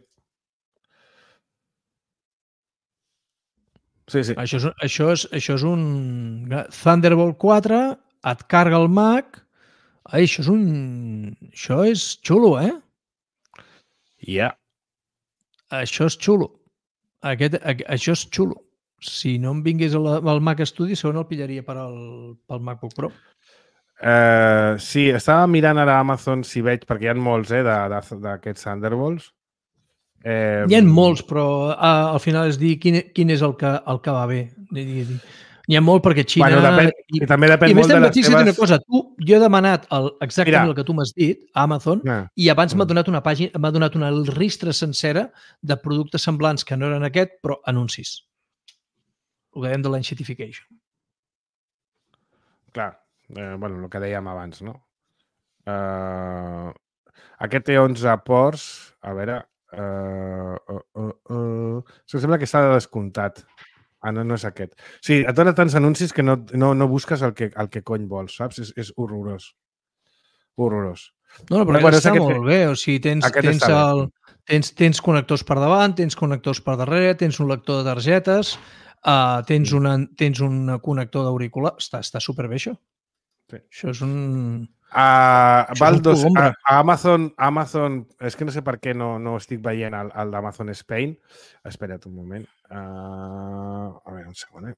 Sí, sí. Això és, això és, això és un Thunderbolt quatre, et carga el Mac. Ai, això és un... Això és xulo, eh? Ja. Això és xulo. Aquest, a, això és xulo. Si no em vingués al, al Mac Studio, segon el pillaria per al, pel MacBook Pro. Uh, sí, estava mirant ara a Amazon si veig, perquè hi ha molts eh, d'aquests Thunderbolts. Eh, Hi ha molts, però uh, al final és dir quin, quin és el que, el que va bé. Dir, dir, dir. N'hi ha molt perquè Xina... Bueno, depèn, i, i també depèn i molt de les teves... teves... Una cosa, tu, jo he demanat el, exactament Mira. el que tu m'has dit a Amazon Ah. i abans m'ha Mm. donat una pàgina, m'ha donat una ristra sencera de productes semblants que no eren aquest, però anuncis. El que dèiem de l'enxetification. Clar, eh, bueno, el que dèiem abans, no? Uh, aquest té onze ports, a veure... Uh, uh, uh, uh, sembla que està de descomptat. Ah, no, no és aquest. Sí, et dona tants anuncis que no, no, no busques el que, el que cony vols, saps? És, és horrorós. Horrorós. No, no, però Bueno, bueno, és està aquest molt que- bé. O sigui, tens, aquest tens, està bé. el, tens, tens connectors per davant, tens connectors per darrere, tens un lector de targetes, uh, tens, Mm. una, tens un connector d'auricular. Està, està superbé, això. Sí. Això és un... Uh, Això val és un dos, cogombre. a, a Amazon, Amazon, és que no sé per què no, no estic veient el, el d'Amazon Spain. Espera't un moment. Uh, a veure, un segon, eh?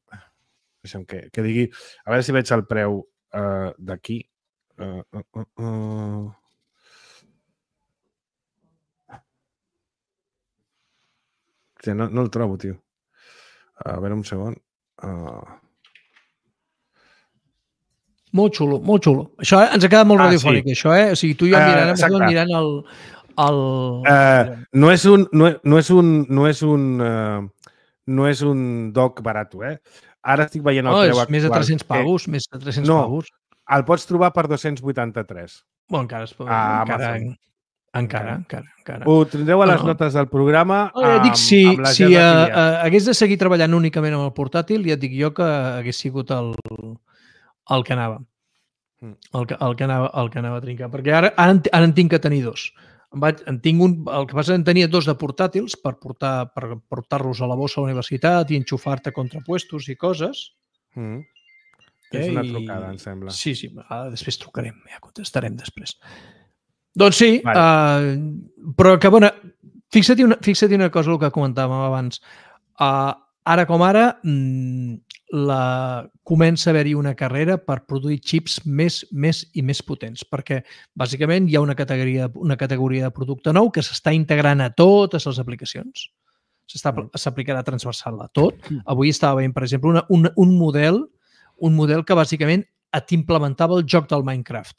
Deixa'm que, que digui... A veure si veig el preu uh, d'aquí. Uh, uh, uh, uh. Sí, no, no el trobo, tio. A veure, un segon. Uh... Molt xulo, molt xulo. Això eh, ens ha quedat molt Ah, radiofònic, sí. això, eh? O sigui, tu i jo Eh, mirant, exacte. uh, mirant el... el... Uh, no és un no, no és un no és un uh, no és un dock barat, eh? Ara estic veient el oh, preu és més de actual, tres-cents que pavos, més de tres-cents No. pavos. El pots trobar per dos-cents vuitanta-tres. Bueno, encara es pot... A encara, Amazon. encara, encara, encara. Ho tindreu a No, les no. notes del programa Oh, ja et dic, amb, si, amb la si gel uh, afiliat. uh, hagués de seguir treballant únicament amb el portàtil, ja et dic jo que hagués sigut el, el que anava. Mm. El que, el, que anava, el que anava a trincar. Perquè ara, ara, en, ara en tinc que tenir dos. En, vaig, en tinc un, el que passa en tenia dos de portàtils per portar per portar-los a la bossa a la universitat i enxufar-te contrapuestos i coses. Mm. És Eh, una i- trucada, em sembla. Sí, sí, ara després trucarem, ja contestarem després. Doncs sí, Vale. uh, però que bona... Fixa-t'hi una, fixa una cosa, el que comentàvem abans. Uh, ara com ara, mm, la, comença a haver-hi una carrera per produir xips més, més i més potents, perquè bàsicament hi ha una categoria, una categoria de producte nou que s'està integrant a totes les aplicacions. S'està- Mm. S'aplicarà transversal a tot. Avui estava veient, per exemple, una, un, un model un model que bàsicament t'implementava el joc del Minecraft.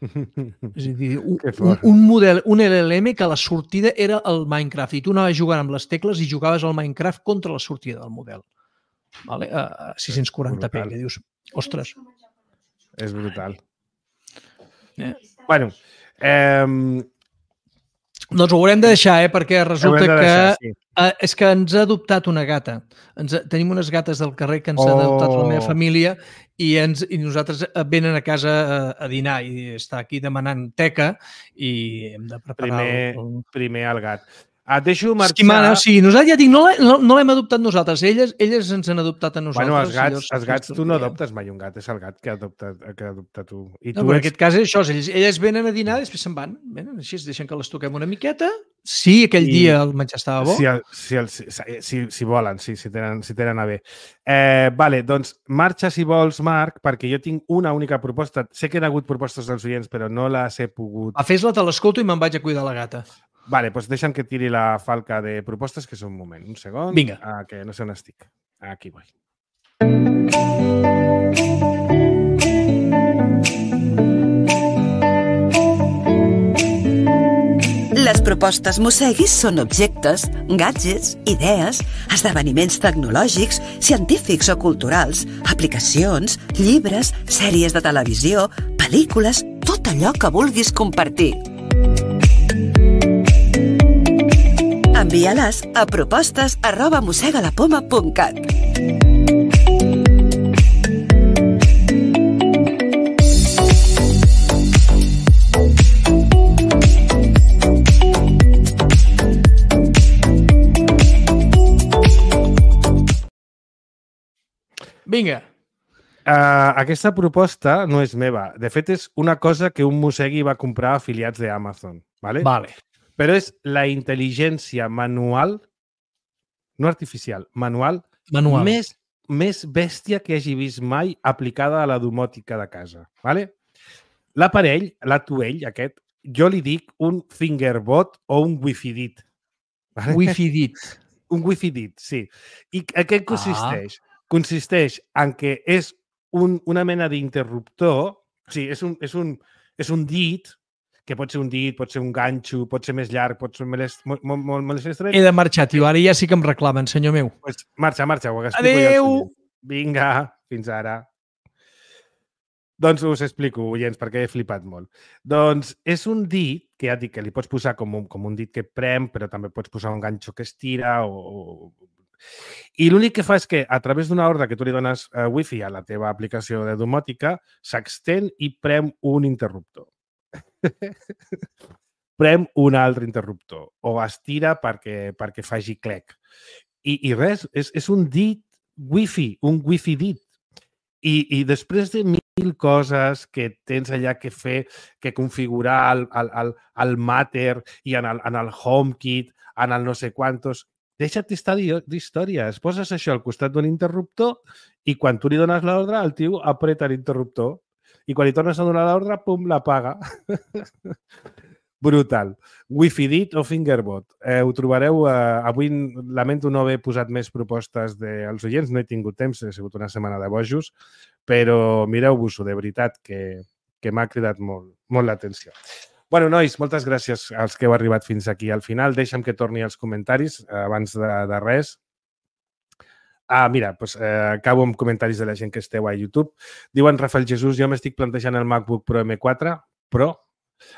És a dir, un, Que un, fort. un model, un L L M que la sortida era el Minecraft i tu anaves jugant amb les tecles i jugaves al Minecraft contra la sortida del model. Vale? A sis-cents quaranta p, Brutal. que dius, ostres. És brutal. Eh? Bueno, eh, Doncs ho haurem de deixar, eh? Perquè resulta haurem de que deixar, sí. eh, és que ens ha adoptat una gata. Ens, ha- tenim unes gates del carrer que ens Oh. han adoptat la meva família i, ens, i nosaltres eh, venen a casa a, a dinar i està aquí demanant teca i hem de preparar Primer, el... primer el gat. Et deixo marxar... Esquimana, o sigui, nosaltres ja dic, no l'he- no, no l'hem adoptat nosaltres, elles, elles ens han adoptat a nosaltres. Bueno, els i gats, llavors els gats tu no diem. adoptes mai un gat, és el gat que adopta, que adopta tu. I No, tu però en ets... aquest cas és això, elles, elles venen a dinar i després se'n van. Venen així, es deixen que les toquem una miqueta. Sí, aquell I- dia el menjar estava bo. Si, el, si, el, si, si, si volen, sí, si tenen, si tenen a bé. Eh, vale, doncs marxa si vols, Marc, perquè jo tinc una única proposta. Sé que hi ha hagut propostes dels oients, però no les he pogut... A fes-la, te l'escolto i me'n vaig a cuidar la gata. Vale, doncs deixa'm que tiri la falca de propostes, que és un moment, un segon. Vinga. Ah, que no sé on estic. Aquí vull. Les propostes Mosseguis són objectes, gadgets, idees, esdeveniments tecnològics, científics o culturals, aplicacions, llibres, sèries de televisió, pel·lícules, tot allò que vulguis compartir. Envia-les a propostes arroba mossegalapoma punt cat. Vinga. Uh, aquesta proposta no és meva. De fet, és una cosa que un mossegui va comprar afiliats d'Amazon. ¿vale? Vale. Però és la intel·ligència manual, no artificial, manual, Manual. més, més bèstia que hagi vist mai aplicada a la domòtica de casa. ¿vale? L'aparell, l'atuell aquest, jo li dic un fingerbot o un wifi-dit. ¿vale? Wi-Fi dit. Un wifi-dit, sí. I a què consisteix? Ah. consisteix en que és un, una mena d'interruptor, o sigui, és un, és, un, és un dit, que pot ser un dit, pot ser un ganxo, pot ser més llarg, pot ser més, molt, molt, molt més estret. He de marxar, tio. Ara ja sí que em reclamen, senyor meu. Pues marxa, marxa. Ho Adéu! Vinga, fins ara. Doncs us explico, oients, perquè he flipat molt. Doncs és un dit, que ja dic que li pots posar com un, com un dit que prem, però també pots posar un ganxo que estira o... I l'únic que fa és que a través d'una ordre que tu li dones uh, wifi a la teva aplicació de domòtica s'extén i prem un interruptor. Prem un altre interruptor o estira perquè, perquè faci clec. I, i res, és, és un dit wifi, un wifi dit. I, i després de mil coses que tens allà que fer, que configurar el, el, el, el Matter i en el, en el HomeKit, en el no sé quantos, deixa't estar d'històries. Poses això al costat d'un interruptor i quan tu li dones l'ordre, el tio apreta l'interruptor i quan li tornes a donar l'ordre, pum, l'apaga. Brutal. Wi-Fi dit o Fingerbot. Eh, ho trobareu... Eh, avui lamento no haver posat més propostes dels oients, no he tingut temps, ha sigut una setmana de bojos, però mireu-vos-ho, de veritat, que, que m'ha cridat molt, molt l'atenció. Bueno, nois, moltes gràcies als que heu arribat fins aquí al final. Deixa'm que torni als comentaris eh, abans de, de res. Ah, mira, doncs, eh, acabo amb comentaris de la gent que esteu a YouTube. Diuen Rafael Jesús, jo m'estic plantejant el MacBook Pro M quatre Pro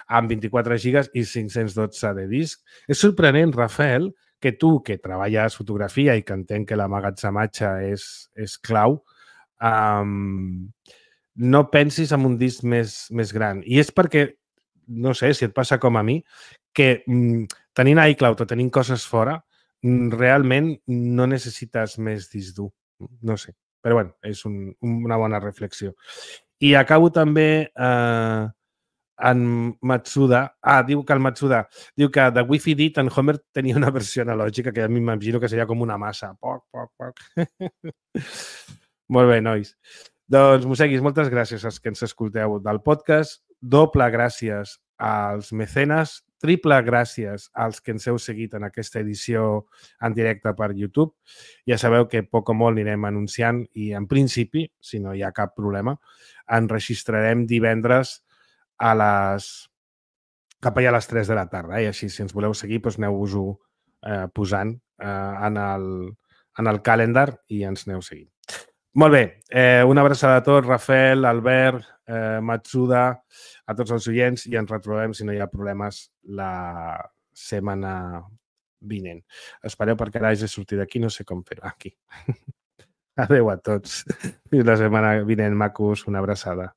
amb vint-i-quatre gigas i cinc-cents dotze de disc. És sorprenent, Rafael, que tu, que treballes fotografia i que entenc que l'amagatzematge és, és clau, um, no pensis en un disc més, més gran. I és perquè, no sé si et passa com a mi, que mm, tenint iCloud o tenint coses fora, mm, realment no necessites més disc dur. No sé. Però bueno, és un, una bona reflexió. I acabo també... Eh, en Matsuda, ah, diu que el Matsuda, diu que de Wi-Fi dit en Homer tenia una versió analògica que a mi m'imagino que seria com una massa. Poc, poc, poc. Molt bé, nois. Doncs, Moseguis, moltes gràcies als que ens escolteu del podcast. Doble gràcies als mecenes. Triple gràcies als que ens heu seguit en aquesta edició en directe per YouTube. Ja sabeu que poc o molt anirem anunciant i, en principi, si no hi ha cap problema, enregistrarem divendres a les... cap allà a les tres de la tarda. Eh? I així, si ens voleu seguir, doncs aneu-vos-ho eh, posant eh, en, el, en el calendar i ens aneu seguint. Molt bé. Eh, una abraçada a tots, Rafael, Albert, eh, Matsuda, a tots els oients i ens retrobem, si no hi ha problemes, la setmana vinent. Espereu perquè ara hagi sortit d'aquí, no sé com fer-ho. Aquí. Adéu a tots. Fins la setmana vinent, macos. Una abraçada.